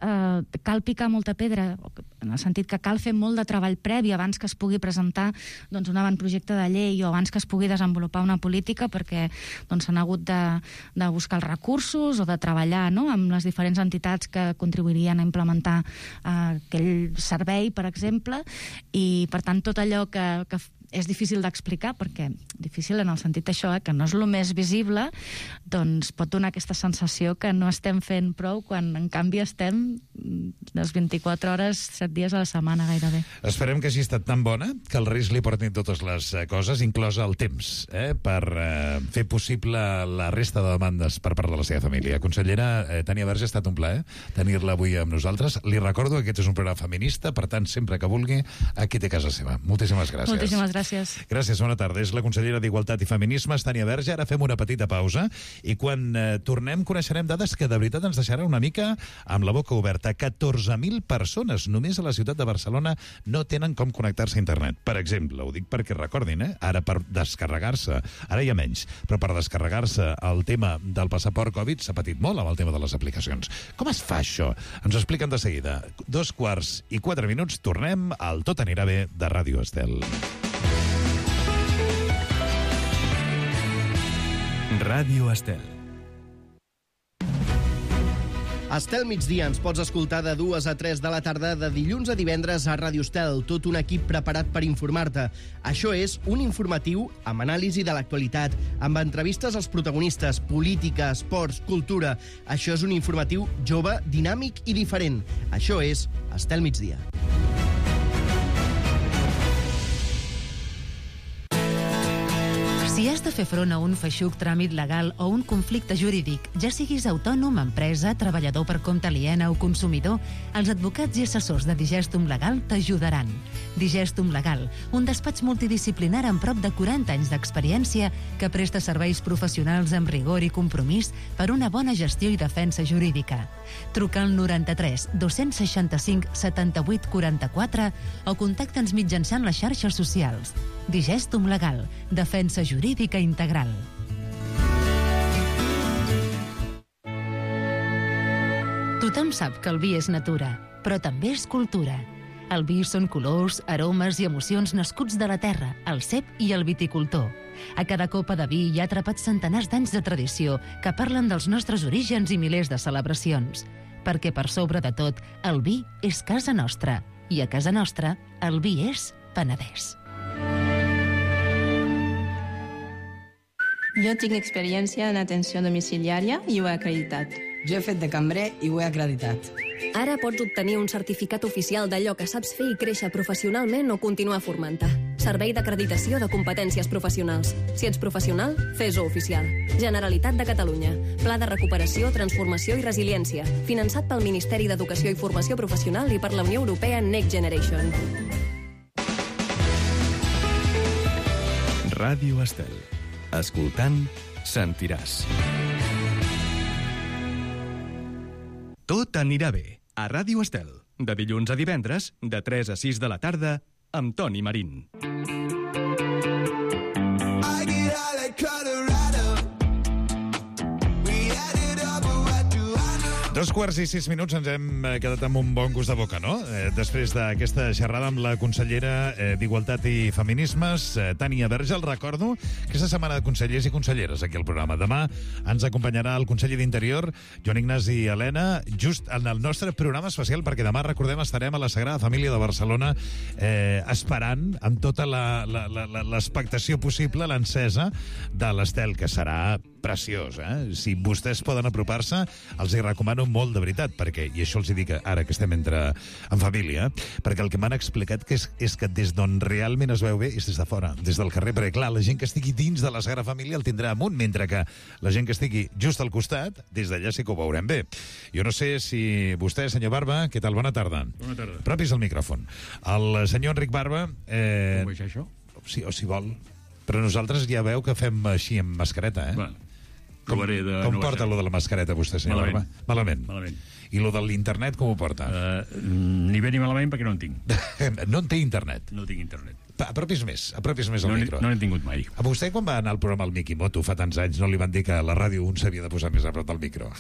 cal picar molta pedra, en el sentit que cal fer molt de treball previ abans que es pugui presentar un avantprojecte de llei o abans que es pugui desenvolupar una política, perquè s'han hagut de buscar els recursos o de treballar amb les diferents entitats que contribuirien a implementar aquell servei, per exemple, i per tant tot allò que és difícil d'explicar, perquè difícil en el sentit això, que no és el més visible, doncs pot donar aquesta sensació que no estem fent prou, quan en canvi estem les 24 hores, 7 dies a la setmana gairebé. Esperem que hagi estat tan bona que els Reis li portin totes les coses, inclosa el temps, per fer possible la resta de demandes per part de la seva família. Consellera Tània Verge, ha estat un plaer tenir-la avui amb nosaltres. Li recordo que aquest és un programa feminista, per tant, sempre que vulgui, aquí té casa seva. Moltíssimes gràcies. Moltíssimes gràcies. Gràcies, bona tarda. És la consellera d'Igualtat i Feminismes, Tània Verge. Ara fem una petita pausa i quan tornem coneixerem dades que de veritat ens deixaran una mica amb la boca oberta. 14.000 persones només a la ciutat de Barcelona no tenen com connectar-se a internet. Per exemple, ho dic perquè recordin, ara per descarregar-se, ara hi ha menys, però per descarregar-se el tema del passaport Covid s'ha patit molt amb el tema de les aplicacions. Com es fa això? Ens ho expliquen de seguida. 2:04, tornem al Tot anirà bé de Ràdio Estel. Ràdio Estel. Estel Migdia ens pots escoltar de 2 a 3 de la tarda de dilluns a divendres a Ràdio Estel, tot un equip preparat per informar-te. Això és un informatiu amb anàlisi de l'actualitat, amb entrevistes als protagonistes, política, esports, cultura. Això és un informatiu jove, dinàmic i diferent. Això és Estel Migdia. Si has de fer front a un feixuc tràmit legal o un conflicte jurídic, ja siguis autònom, empresa, treballador per compte aliena o consumidor, els advocats i assessors de Digestum Legal t'ajudaran. Digestum Legal, un despatx multidisciplinar amb prop de 40 anys d'experiència que presta serveis professionals amb rigor i compromís per una bona gestió i defensa jurídica. Truca al 93 265 78 44 o contacta'ns mitjançant les xarxes socials. Digestum Legal, defensa jurídica integral. Tothom sap que el vi és natura, però també és cultura. El vi són colors, aromes i emocions nascuts de la terra, el cep i el viticultor. A cada copa de vi hi ha atrapats centenars d'anys de tradició que parlen dels nostres orígens i milers de celebracions. Perquè per sobre de tot, el vi és casa nostra. I a casa nostra, el vi és Penedès. Jo tinc experiència en atenció domiciliària i ho he acreditat. Jo he fet de cambrer i ho he acreditat. Ara pots obtenir un certificat oficial d'allò que saps fer i créixer professionalment o continuar formant-te. Servei d'acreditació de competències professionals. Si ets professional, fes-ho oficial. Generalitat de Catalunya. Pla de recuperació, transformació i resiliència. Finançat pel Ministeri d'Educació i Formació Professional i per la Unió Europea Next Generation. Ràdio Estel. Escoltant, sentiràs. Tot anirà bé. A Ràdio Estel. De dilluns a divendres, de 3 a 6 de la tarda, amb Toni Marín. 2:06 ens hem quedat amb un bon gust de boca, no? Després d'aquesta xerrada amb la consellera d'Igualtat i Feminismes, Tània Verge. El recordo, aquesta setmana de consellers i conselleres aquí al programa. Demà ens acompanyarà el conseller d'Interior, Joan Ignasi Elena, just en el nostre programa especial, perquè demà, recordem, estarem a la Sagrada Família de Barcelona esperant amb tota l'expectació possible l'encesa de l'Estel, que serà preciós, eh? Si vostès poden apropar-se, els hi recomano molt, de veritat, perquè, i això els hi dic ara que estem en família, perquè el que m'han explicat és que des d'on realment es veu bé és des de fora, des del carrer, perquè clar, la gent que estigui dins de la Sagrada Família el tindrà amunt, mentre que la gent que estigui just al costat, des d'allà sí que ho veurem bé. Jo no sé si vostè, senyor Barba, què tal? Bona tarda. Bona tarda. Propis al micròfon. El senyor Enric Barba... Com veig això? Sí, o si vol. Però nosaltres ja veu que fem així amb mascareta, eh? Bueno, provaré de... Com porta lo de la mascareta, vostè, senyor Barba? Malament. I lo de l'internet, com ho porta? Ni bé ni malament, perquè no en tinc. No en té internet? No tinc internet. Apropis més al micro. No n'he tingut mai. A vostè, quan va anar al programa al Mikimoto fa tants anys, no li van dir que a la ràdio un s'havia de posar més a prop del micro?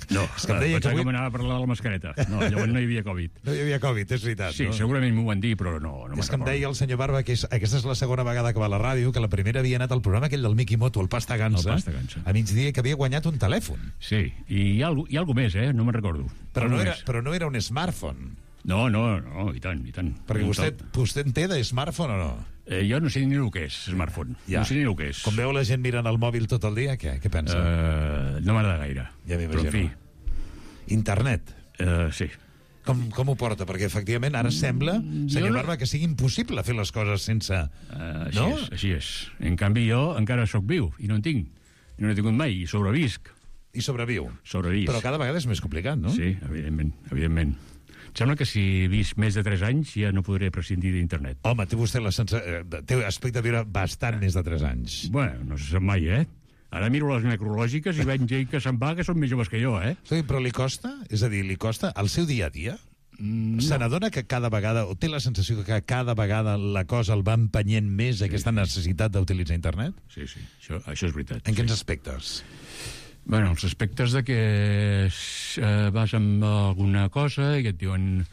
No, és que em deia pensava que m'anava a parlar de la mascareta. No, llavors no hi havia Covid. No hi havia Covid, és veritat. Sí, no? segurament m'ho van dir, però no és que em deia el senyor Barba que aquesta és la segona vegada que va a la ràdio, que la primera havia anat al programa aquell del Mikimoto, el Pasta Gansa, a migdia, que havia guanyat un telèfon. Sí, i hi ha alguna més, no me'n recordo. Però no era un smartphone. No, i tant. Perquè vostè en té de smartphone o no? Jo no sé ni el que és smartphone. Ja. No sé ni el que és. Com veu la gent mirant el mòbil tot el dia, què pensa? No m'agrada gaire. Ja m'imagino. Però en fi. Internet? Sí. Com ho porta? Perquè efectivament ara sembla, senyor Barba, que sigui impossible fer les coses sense... Així és. En canvi jo encara sóc viu i no en tinc. No n'he tingut mai i sobrevisc. I sobreviu? Sobrevisc. Però cada vegada és més complicat, no? Sí, evidentment. Sembla que si he vist més de 3 anys ja no podré prescindir d'internet. Home, té vostè té aspecte de viure bastant més de 3 anys. Bueno, no se sap mai, Ara miro les necrològiques i veig gent que se'n va que són més joves que jo, Sí, però li costa? És a dir, li costa el seu dia a dia? Se n'adona que cada vegada, o té la sensació que cada vegada la cosa el va empenyent més aquesta necessitat d'utilitzar internet? Sí, això és veritat. En quins aspectes? Bueno, els aspectes de que vas amb alguna cosa i et diuen...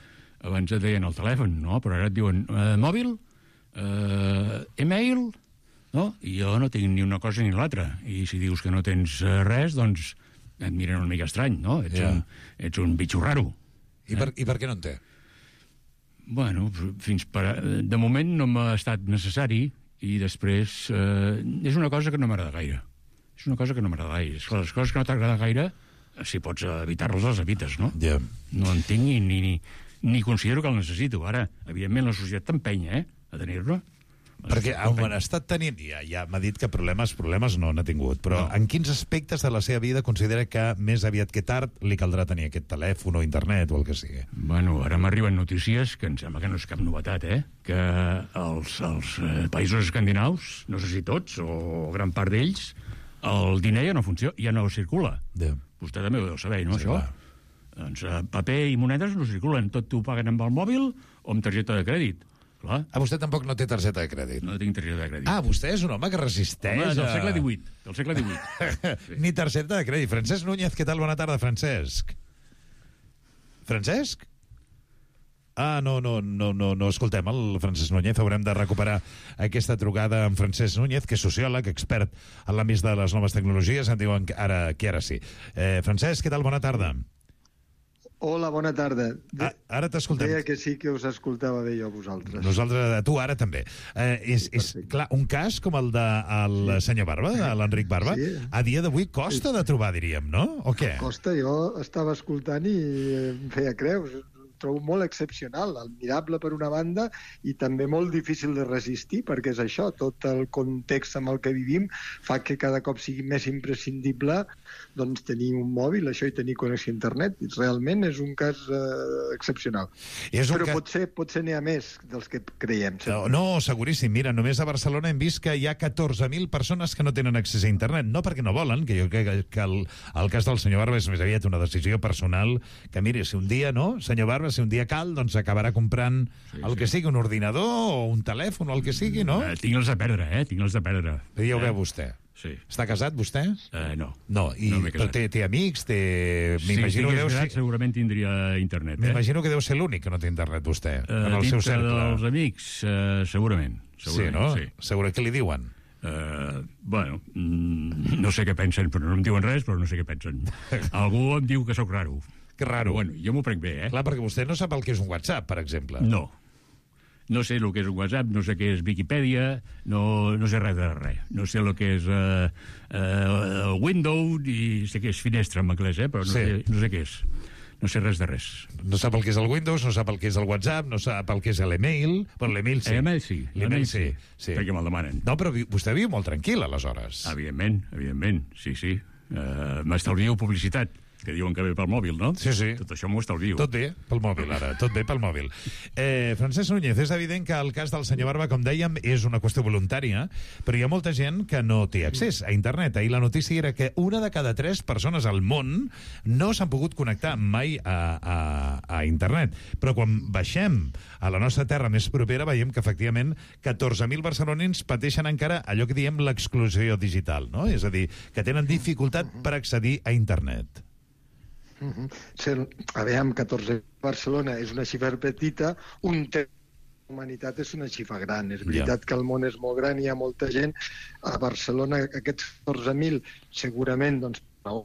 Abans et deien el telèfon, no? Però ara et diuen mòbil, e-mail, no? I jo no tinc ni una cosa ni l'altra. I si dius que no tens res, doncs et miren una mica estrany, no? Ets un bitxo raro. I per què no en té? Bueno, de moment no m'ha estat necessari i després és una cosa que no m'agrada gaire. És una cosa que no m'agrada gaire. Les coses que no t'agrada gaire, si pots evitar-les, les evites, no? No en tinc ni considero que el necessito. Ara, evidentment, la societat t'empenya, a tenir-lo. Perquè on ha estat tenint... Ja m'ha dit que problemes no n'ha tingut, però en quins aspectes de la seva vida considera que més aviat que tard li caldrà tenir aquest telèfon o internet o el que sigui? Bueno, ara m'arriben notícies que em sembla que no és cap novetat, que els països escandinaus, no sé si tots o gran part d'ells, el diner ja no funciona, ja no circula. Vostè també ho deu saber, no, això? Doncs paper i monedes no circulen, tot t'ho paguen amb el mòbil o amb targeta de crèdit. Clar. Vostè tampoc no té targeta de crèdit? No tinc targeta de crèdit. Vostè és un home que resisteix... Home, del segle XVIII. Sí. Ni targeta de crèdit. Francesc Núñez, què tal? Bona tarda, Francesc. Francesc? No escoltem el Francesc Núñez. Haurem de recuperar aquesta trucada amb Francesc Núñez, que és sociòleg, expert en l'àmbit de les noves tecnologies. Em diuen que ara sí. Francesc, què tal? Bona tarda. Hola, bona tarda. Ara t'escoltem. Deia que sí que us escoltava bé jo a vosaltres. Nosaltres, tu ara també. És clar, un cas com el del senyor Barba, l'Enric Barba, a dia d'avui costa de trobar, diríem, no? O què? Costa, jo estava escoltant i em feia creus. Trobo molt excepcional, admirable per una banda i també molt difícil de resistir, perquè és això, tot el context amb el que vivim fa que cada cop sigui més imprescindible doncs, tenir un mòbil, això i tenir connexió a internet. Realment és un cas excepcional. Però potser n'hi ha més dels que creiem. No, seguríssim. Mira, només a Barcelona hem vist que hi ha 14.000 persones que no tenen accés a internet. No perquè no volen, que jo crec que el cas del senyor Barba és més aviat una decisió personal, que miri, si un dia, no, senyor Barba, si un dia cal, doncs acabarà comprant el que sigui, un ordinador o un telèfon o el que sigui, no? Tinc-los a perdre, tinc-los a perdre. Ja ho veu vostè. Sí. Està casat, vostè? No. Però té amics, Si estigués casat, segurament tindria internet. M'imagino que deu ser l'únic que no té internet, vostè, en el seu cercle. Dels amics, segurament. Sí, no? Segurament. Què li diuen? Bueno, no sé què pensen, però no em diuen res, però no sé què pensen. Algú em diu que sóc raro. Que raro. Bueno, jo m'ho prenc bé, Clar, perquè vostè no sap el que és un WhatsApp, per exemple. No sé el que és un WhatsApp, no sé què és Viquipèdia, no sé res de res. No sé el que és Windows i sé que és finestra en anglès, però no sé què és. No sé res de res. No sap el que és el Windows, no sap el que és el WhatsApp, no sap el que és l'email. Però l'email sí. L'email sí. Perquè me'l demanen. No, però vostè viu molt tranquil, aleshores. Evidentment, sí. M'estalvio publicitat, que diuen que ve pel mòbil, no? Sí. Tot això m'ho estalvio. Tot bé pel mòbil, ara. Tot bé pel mòbil. Francesc Núñez, és evident que el cas del senyor Barba, com dèiem, és una qüestió voluntària, però hi ha molta gent que no té accés a internet. Ahir la notícia era que 1 de cada 3 persones al món no s'han pogut connectar mai a internet. Però quan baixem a la nostra terra més propera, veiem que, efectivament, 14.000 barcelonins pateixen encara allò que diem l'exclusió digital, no? És a dir, que tenen dificultat per accedir a internet. Aviam, 14 Barcelona és una xifra petita, un terç de la humanitat és una xifra gran. És veritat que el món és molt gran i hi ha molta gent. A Barcelona aquests 14.000 segurament, doncs, per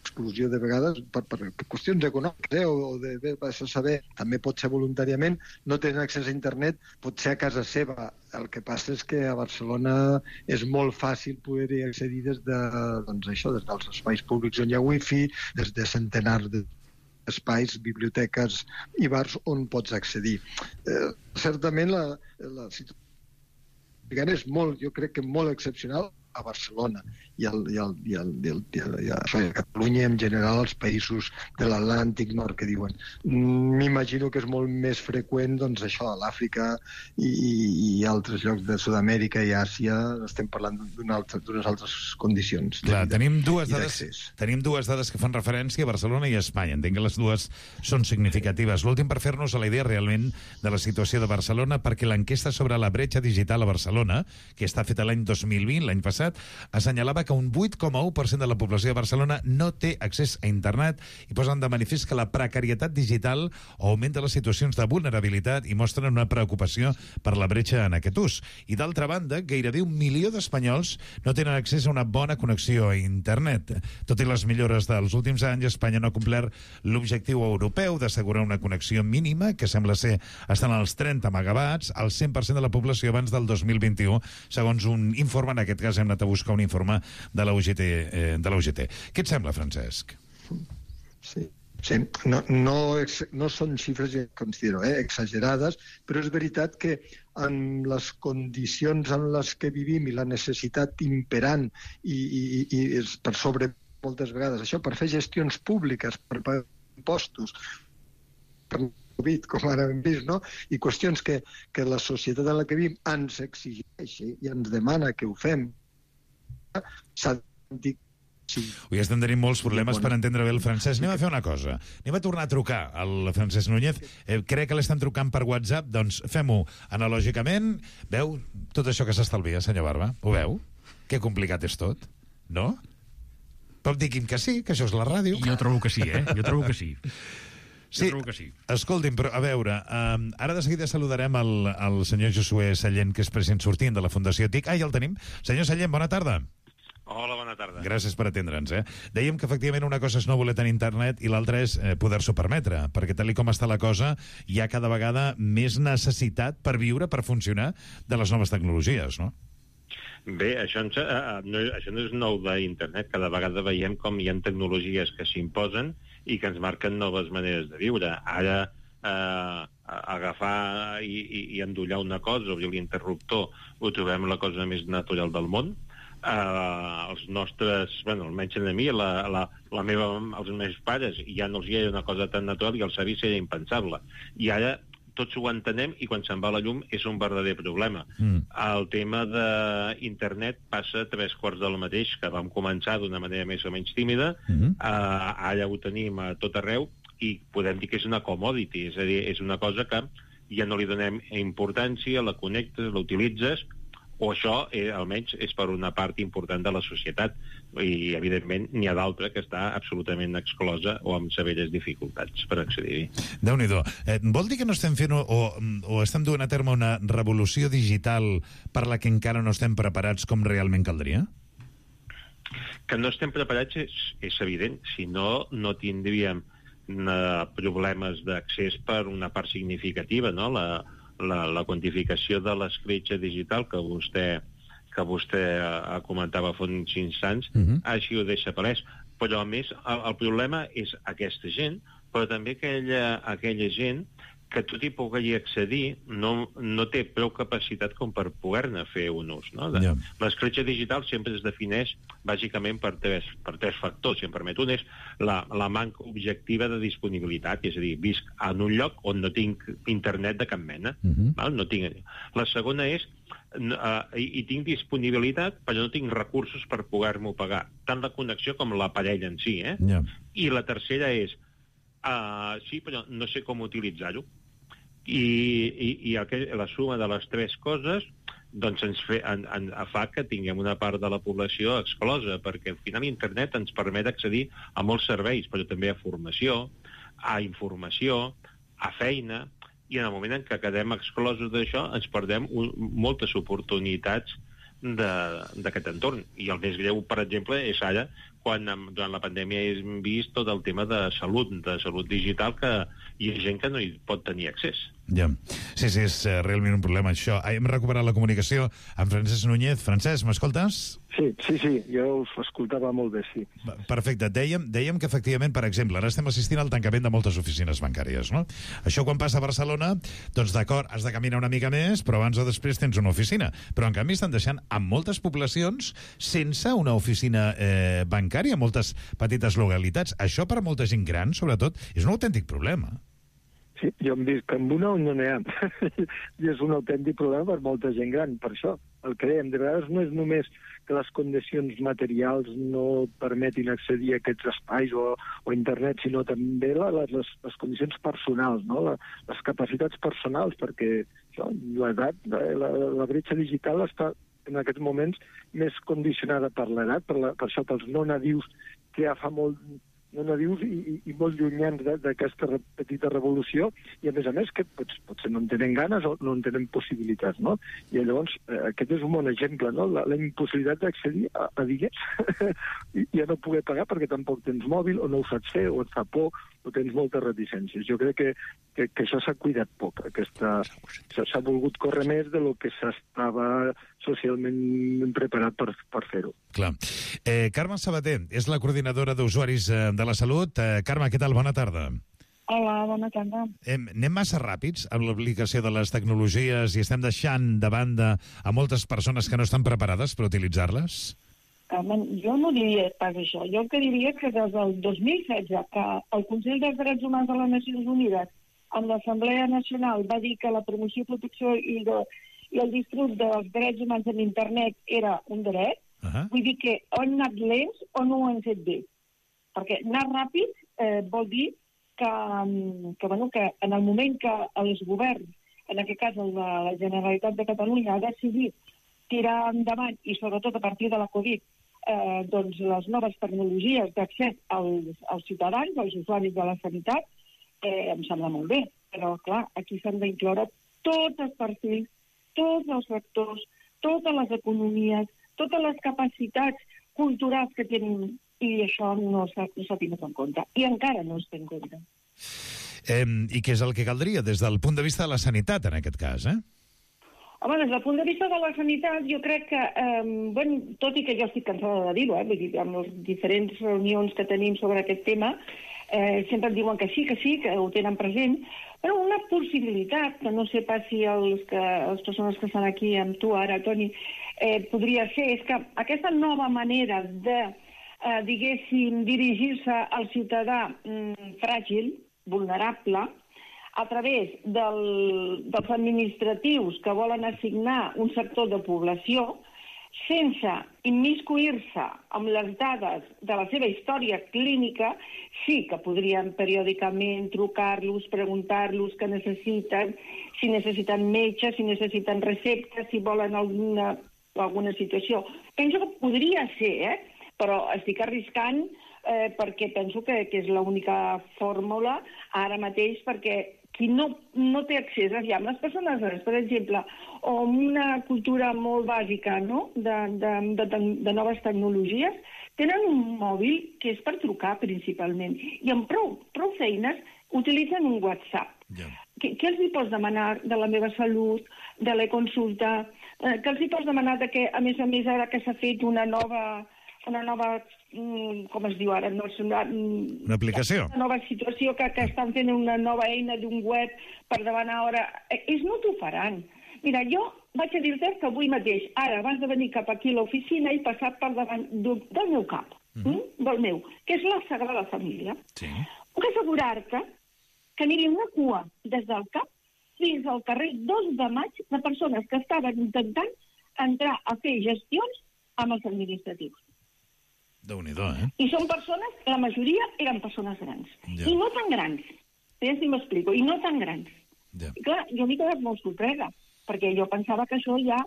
exclusió de vegades, per qüestions econòmiques o de saber, també pot ser voluntàriament, no tenen accés a internet, pot ser a casa seva. El que passa és que a Barcelona és molt fàcil poder-hi accedir des dels espais públics on hi ha wifi, des de centenars d'espais, biblioteques i bars on pots accedir. Certament la situació és molt, jo crec que molt excepcional a Barcelona i a Catalunya en general, als països de l'Atlàntic Nord, que diuen. M'imagino que és molt més freqüent, doncs, això, a l'Àfrica i altres llocs de Sud-amèrica i Àsia. Estem parlant d'unes altres condicions. Clar, tenim dues dades que fan referència a Barcelona i a Espanya. Entenc que les dues són significatives. L'últim per fer-nos a la idea realment de la situació de Barcelona, perquè l'enquesta sobre la bretxa digital a Barcelona, que està feta l'any 2020, l'any passat, passat, assenyalava que un 8,1% de la població de Barcelona no té accés a internet i posen de manifest que la precarietat digital augmenta les situacions de vulnerabilitat i mostren una preocupació per la bretxa en aquest ús. I d'altra banda, gairebé 1 milió d'espanyols no tenen accés a una bona connexió a internet. Tot i les millores dels últims anys, Espanya no ha complert l'objectiu europeu d'assegurar una connexió mínima, que sembla ser estan als 30 megawatts, al 100% de la població abans del 2021, segons un informe, en aquest cas hem anat a buscar un informe de la UGT. Què et sembla, Francesc? Sí. Sí, no són xifres, considero, exagerades, però és veritat que en les condicions en les que vivim i la necessitat imperant i per sobre moltes vegades això, per fer gestions públiques, per pagar impostos, per Covid, com ara hem vist, no? I qüestions que la societat en la que vivim ens exigeix i ens demana que ho fem, s'ha de dir. Sí. Avui estem tenint molts problemes per entendre bé el Francesc. Anem a fer una cosa. Anem a tornar a trucar al Francesc Núñez. Crec que l'estan trucant per WhatsApp, doncs fem-ho analògicament. Veu tot això que s'estalvia, senyor Barba? Ho veu? Que complicat és tot, no? Però digui'm que sí, que això és la ràdio. Jo trobo que sí, Jo trobo que sí. Sí, escolti'm, però a veure, ara de seguida saludarem el senyor Josué Sallent, que és president sortint de la Fundació TIC. Ja el tenim. Senyor Sallent, bona tarda. Hola, bona tarda. Gràcies per atendre'ns. Dèiem que efectivament una cosa és no voler tenir internet i l'altra és poder-s'ho permetre, perquè tal com està la cosa hi ha cada vegada més necessitat per viure, per funcionar, de les noves tecnologies, no? Bé, això no és nou d'internet. Cada vegada veiem com hi ha tecnologies que s'imposen i que ens marquen noves maneres de viure. Ara, agafar i endollar una cosa, obrir l'interruptor, ho trobem la cosa més natural del món. Els nostres, almenys a mi, els meus pares, ja no els hi era una cosa tan natural i els avis era impensable. I ara tots ho entenem i quan se'n va la llum és un verdader problema. El tema d'internet passa 3/4 del mateix, que vam començar d'una manera més o menys tímida, ara ho tenim a tot arreu i podem dir que és una commodity, és a dir, és una cosa que ja no li donem importància, la connectes, la utilitzes, o això, almenys, és per una part important de la societat. I, evidentment, n'hi ha d'altra que està absolutament exclosa o amb severes dificultats per accedir-hi. Déu-n'hi-do. Vol dir que no estem fent o estem duent a terme una revolució digital per la que encara no estem preparats com realment caldria? Que no estem preparats és evident. Si no, no tindríem problemes d'accés per una part significativa, no? La quantificació de l'escletxa digital que vostè comentava fa uns instants, així ho deixa palès. Però, a més, el problema és aquesta gent, però també aquella gent que tot i poder-hi accedir no té prou capacitat com per poder-ne fer un ús. No? L'escletxa digital sempre es defineix bàsicament per tres factors, si em permet. Un és la manca objectiva de disponibilitat, és a dir, visc en un lloc on no tinc internet de cap mena. No tinc. La segona és i tinc disponibilitat, però no tinc recursos per poder-m'ho pagar, tant la connexió com l'aparell en si. I la tercera és sí, però no sé com utilitzar-ho. I la suma de les tres coses doncs ens fa que tinguem una part de la població exclosa, perquè al final internet ens permet accedir a molts serveis, però també a formació, a informació, a feina, i en el moment en què quedem exclosos d'això ens perdem moltes oportunitats d'aquest entorn. I el més greu, per exemple, és ara quan durant la pandèmia hem vist tot el tema de salut digital, que hi ha gent que no hi pot tenir accés. Sí, és realment un problema això. Hem recuperat la comunicació amb Francesc Núñez. Francesc, m'escoltes? Sí, jo us escoltava molt bé, sí. Perfecte. Dèiem que efectivament, per exemple, ara estem assistint al tancament de moltes oficines bancàries, no? Això quan passa a Barcelona, doncs d'acord, has de caminar una mica més, però abans o després tens una oficina. Però en canvi estan deixant a moltes poblacions sense una oficina bancària, moltes petites localitats. Això per molta gent gran, sobretot, és un autèntic problema. Sí, jo em dic que amb una on no n'hi ha. I és un autèntic problema per molta gent gran. Per això, el que dèiem, de vegades no és només que les condicions materials no permetin accedir a aquests espais o internet, sinó també les condicions personals, no? Les capacitats personals, perquè l'edat, la bretxa digital està en aquests moments més condicionada per l'edat, per això pels no nadius, que ja fa molt no nadius i molt llunyans d'aquesta petita revolució, i a més que potser no en tenen ganes o no en tenen possibilitats, no? I llavors aquest és un bon exemple, no? La impossibilitat d'accedir a diners i a no poder pagar perquè tampoc tens mòbil o no ho saps fer o et fa por o tens moltes reticències. Jo crec que això s'ha cuidat poc. S'ha volgut córrer més de lo que s'estava socialment preparat per fer-ho. Clar. Carme Sabater és la coordinadora d'usuaris de la salut. Carme, què tal? Bona tarda. Hola, bona tarda. Anem massa ràpids amb l'aplicació de les tecnologies i estem deixant de banda a moltes persones que no estan preparades per utilitzar-les? Jo no diria pas això. Jo el que diria que des del 2016, que el Consell dels Drets Humans de les Nacions Unides amb l'Assemblea Nacional va dir que la promoció, protecció i el disfrut dels drets humans en internet era un dret, vull dir que o han anat lents o no ho han fet bé. Perquè anar ràpid vol dir que en el moment que els governs, en aquest cas la Generalitat de Catalunya, ha decidit tirar endavant, i sobretot a partir de la Covid, doncs les noves tecnologies d'accés als ciutadans, als usuaris de la sanitat, em sembla molt bé. Però, clar, aquí s'han d'incloure tots els perfils, tots els sectors, totes les economies, totes les capacitats culturals que tenen, i això no s'ha tingut en compte. I encara no es té en compte. I què és el que caldria des del punt de vista de la sanitat, en aquest cas, Home, des del punt de vista de la sanitat, jo crec que, tot i que jo estic cansada de dir-ho, vull dir, amb les diferents reunions que tenim sobre aquest tema, sempre em diuen que sí, que ho tenen present, però una possibilitat, que no sé pas si les persones que estan aquí amb tu ara, Toni, podria ser, és que aquesta nova manera de, diguéssim, dirigir-se al ciutadà fràgil, vulnerable, a través dels administratius que volen assignar un sector de població, sense immiscuir-se amb les dades de la seva història clínica, sí que podrien periòdicament trucar-los, preguntar-los què necessiten, si necessiten metge, si necessiten receptes, si volen alguna situació. Penso que podria ser, però estic arriscant perquè penso que és l'única fórmula ara mateix, perquè qui no té accés a les persones, per exemple, o una cultura molt bàsica, no?, de noves tecnologies, tenen un mòbil que és per trucar principalment, i amb prou feines utilitzen un WhatsApp. Què els hi pots demanar de la meva salut, de la consulta? Què els hi pots demanar de que, a més, ara que s'ha fet una nova, com es diu ara? Una aplicació. Una nova situació que estan fent una nova eina d'un web per demanar hora. Ells no t'ho faran. Mira, jo vaig a dir-te que avui mateix, ara, abans de venir cap aquí a l'oficina, he passat per davant del meu cap, del meu, que és la Sagrada Família. Puc assegurar-te que n'hi havia una cua des del cap fins al carrer 2 de Maig de persones que estaven intentant entrar a fer gestions amb els administratius. Déu-n'hi-do, I són persones, la majoria eren persones grans. I no tan grans. Ja si m'explico. I no tan grans. I clar, jo m'he quedat molt sorpresa, perquè jo pensava que això ja,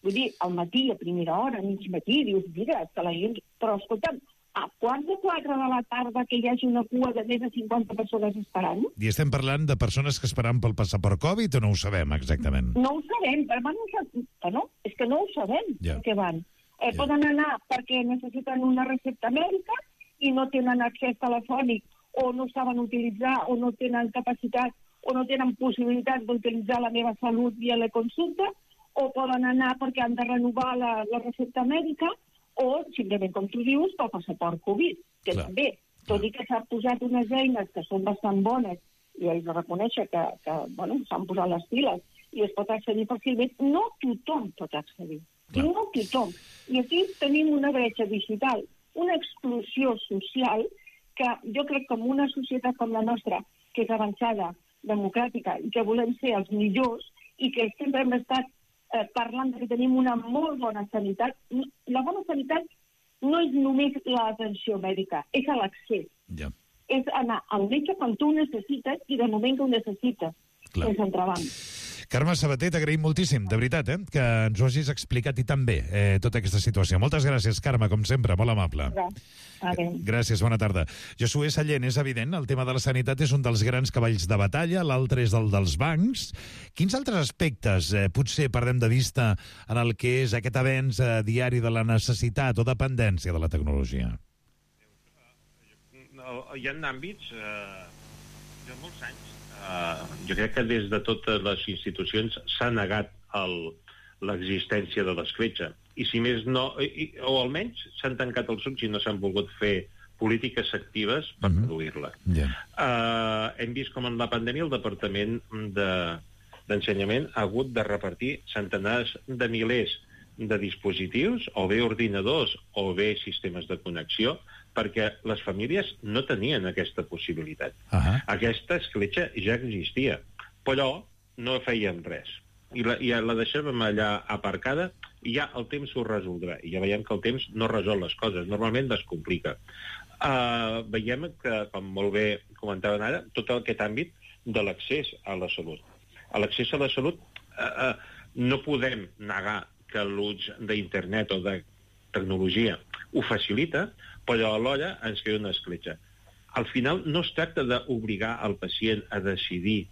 vull dir, al matí, a primera hora, a mig matí, dius, mira, que la gent... Però, escolta'm, a 4:15 de la tarda que hi hagi una cua de més de 50 persones esperant... I estem parlant de persones que esperaven pel passaport Covid o no ho sabem exactament? No ho sabem, però és que no ho sabem què van. Poden anar perquè necessiten una recepta mèdica i no tenen accés telefònic o no saben utilitzar o no tenen capacitat o no tenen possibilitat d'utilitzar la meva salut via la consulta, o poden anar perquè han de renovar la recepta mèdica, o simplement, com tu dius, pel passaport Covid, que també, tot i que s'han posat unes eines que són bastant bones i ells reconeixen que s'han posat les piles i es pot accedir fàcilment, no tothom pot accedir. I no tothom. I aquí tenim una bretxa digital, una exclusió social que jo crec que en una societat com la nostra, que és avançada, democràtica, i que volem ser els millors, i que sempre hem estat parlant que tenim una molt bona sanitat. La bona sanitat no és només l'atenció mèdica, és l'accés. És anar al metge quan tu ho necessites i de moment que ho necessites. És entrebanc. Carme Sabater, t'agraïm moltíssim, de veritat, que ens ho hagis explicat i tan bé, tota aquesta situació. Moltes gràcies, Carme, com sempre, molt amable. Gràcies, bona tarda. Josué Sallent, és evident, el tema de la sanitat és un dels grans cavalls de batalla, l'altre és el dels bancs. Quins altres aspectes potser perdem de vista en el que és aquest avenç diari de la necessitat o dependència de la tecnologia? Hi ha àmbits de molts anys. Jo crec que des de totes les institucions s'ha negat l'existència de l'escletxa. I si més no, o almenys s'han tancat els ulls i no s'han volgut fer polítiques actives per reduir-la. Hem vist com en la pandèmia el Departament d'Ensenyament ha hagut de repartir centenars de milers de dispositius, o bé ordinadors, o bé sistemes de connexió, perquè les famílies no tenien aquesta possibilitat. Aquesta escletxa ja existia, però no fèiem res. I la deixàvem allà aparcada i ja el temps ho resoldrà. I ja veiem que el temps no resol les coses, normalment les complica. Veiem que, com molt bé comentaven ara, tot aquest àmbit de l'accés a la salut. A l'accés a la salut no podem negar que l'ús d'internet o de tecnologia ho facilita, però alhora ens crea una escletxa. Al final no es tracta d'obligar el pacient a decidir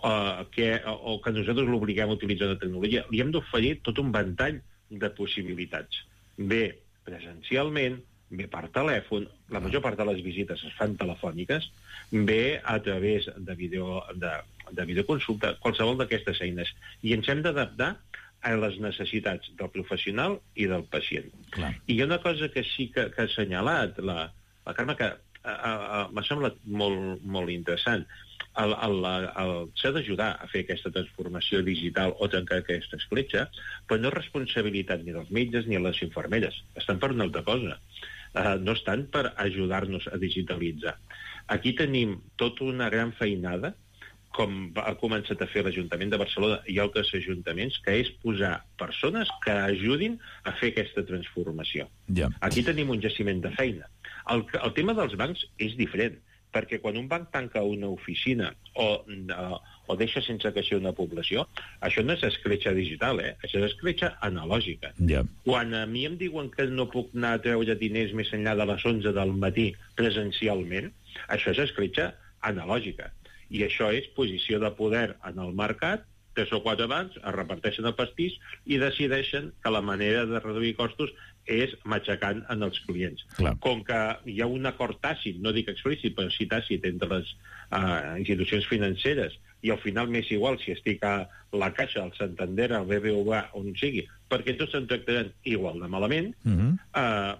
o que nosaltres l'obliguem a utilitzar la tecnologia. Li hem d'oferir tot un ventall de possibilitats. Bé presencialment, bé per telèfon, la major part de les visites es fan telefòniques, bé a través de videoconsulta, qualsevol d'aquestes eines. I ens hem d'adaptar a les necessitats del professional i del pacient. I hi ha una cosa que sí que ha assenyalat la Carme, que m'ha semblat molt interessant. S'ha d'ajudar a fer aquesta transformació digital o trencar aquesta escletxa, però no és responsabilitat ni dels metges ni de les infermeres. Estan per una altra cosa. No estan per ajudar-nos a digitalitzar. Aquí tenim tota una gran feinada, com ha començat a fer l'Ajuntament de Barcelona i altres ajuntaments, que és posar persones que ajudin a fer aquesta transformació. Aquí tenim un jaciment de feina. El tema dels bancs és diferent, perquè quan un banc tanca una oficina o deixa sense caixer una població, això no és escletxa digital, això és escletxa analògica. Quan a mi em diuen que no puc anar a treure diners més enllà de les 11 del matí presencialment, això és escletxa analògica. I això és posició de poder en el mercat, 3 o 4 bancs es reparteixen el pastís i decideixen que la manera de reduir costos és matxacant en els clients. Com que hi ha un acord tàcit, no dic explícit, però sí tàcit entre les institucions financeres, i al final m'és igual si estic a la Caixa, al Santander, al BBVA, on sigui, perquè tots se'n tractaran igual de malament,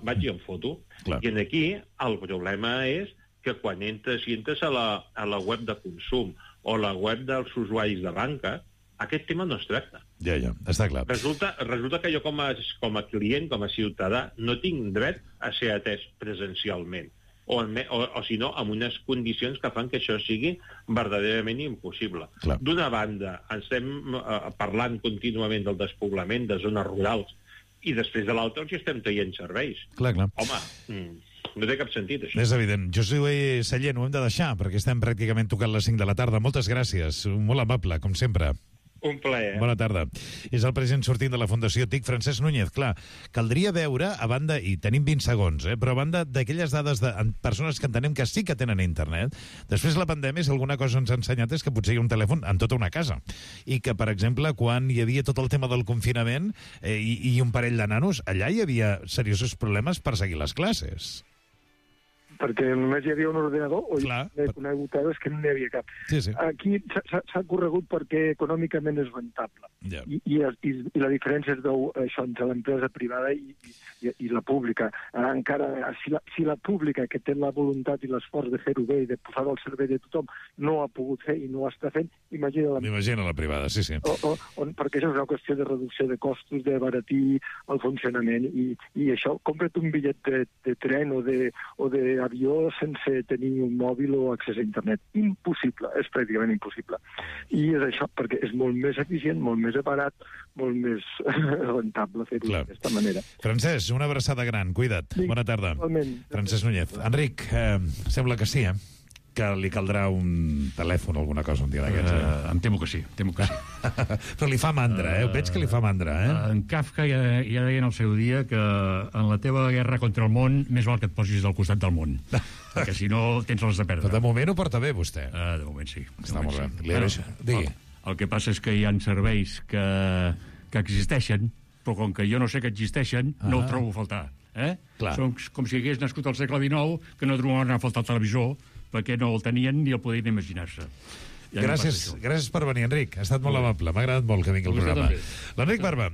vaig i em foto. I aquí el problema és que quan entres a la web de consum o la web dels usuaris de banca, aquest tema no es tracta. Ja, està clar. Resulta que jo com a client, com a ciutadà, no tinc dret a ser atès presencialment. O si no, amb unes condicions que fan que això sigui verdaderament impossible. D'una banda, estem parlant contínuament del despoblament de zones rurals i després de l'altra els estem traient serveis. Home, no té cap sentit, això. És evident. Josué Sallent, ho hem de deixar, perquè estem pràcticament tocant les 5 de la tarda. Moltes gràcies. Molt amable, com sempre. Un plaer. Bona tarda. És el president sortint de la Fundació TIC, Francesc Núñez. Clar, caldria veure, a banda, i tenim 20 segons, però a banda d'aquelles dades de persones que entenem que sí que tenen internet, després la pandèmia, si alguna cosa ens ha ensenyat és que potser hi ha un telèfon en tota una casa. I que, per exemple, quan hi havia tot el tema del confinament i un parell de nanos, allà hi havia seriosos problemes per seguir les classes. Perquè només hi havia un ordenador o he conegut és que no n'hi havia cap. Aquí s'ha corregut perquè econòmicament és rentable. I la diferència es veu això entre l'empresa privada i la pública. Encara, si la pública, que té la voluntat i l'esforç de fer-ho bé i de posar-ho al servei de tothom, no ho ha pogut fer i no ho està fent, imagina la privada, sí. Perquè això és una qüestió de reducció de costos, de baratir el funcionament. I això, compra't un bitllet de tren o d'avió sense tenir un mòbil o accés a internet. Impossible, és pràcticament impossible. I és això, perquè és molt més eficient, molt més barat, molt més rentable fer-ho d'aquesta manera. Francesc, una abraçada gran, cuida't. Bona tarda. Francesc Núñez. Enric, sembla que sí, que li caldrà un telèfon o alguna cosa un dia d'aquests. Em temo que sí, Però li fa mandra, veig que li fa mandra, En Kafka ja deia en el seu dia que en la teva guerra contra el món més val que et posis al costat del món, perquè si no tens les de perdre. Però de moment ho porta bé, vostè. De moment sí. Està molt bé. Li agraeixo. Digui. El que passa és que hi ha serveis que existeixen, però com que jo no sé que existeixen, no ho trobo a faltar. Són com si hagués nascut al segle XIX, que no trobaven a faltar el televisor, perquè no el tenien ni el podien imaginar-se. Gràcies per venir, Enric. Ha estat molt amable. M'ha agradat molt que vingui al programa. L'Enric Barba.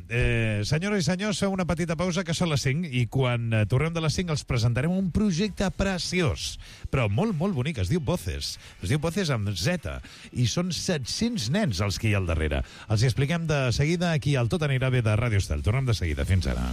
Senyores i senyors, feu una petita pausa, que són les 5, i quan tornem de les 5 els presentarem un projecte preciós, però molt, molt bonic. Es diu Voces. Es diu Voces amb Z. I són 700 nens els que hi ha al darrere. Els hi expliquem de seguida aquí al Tot anirà bé de Ràdio Estel. Tornem de seguida. Fins ara.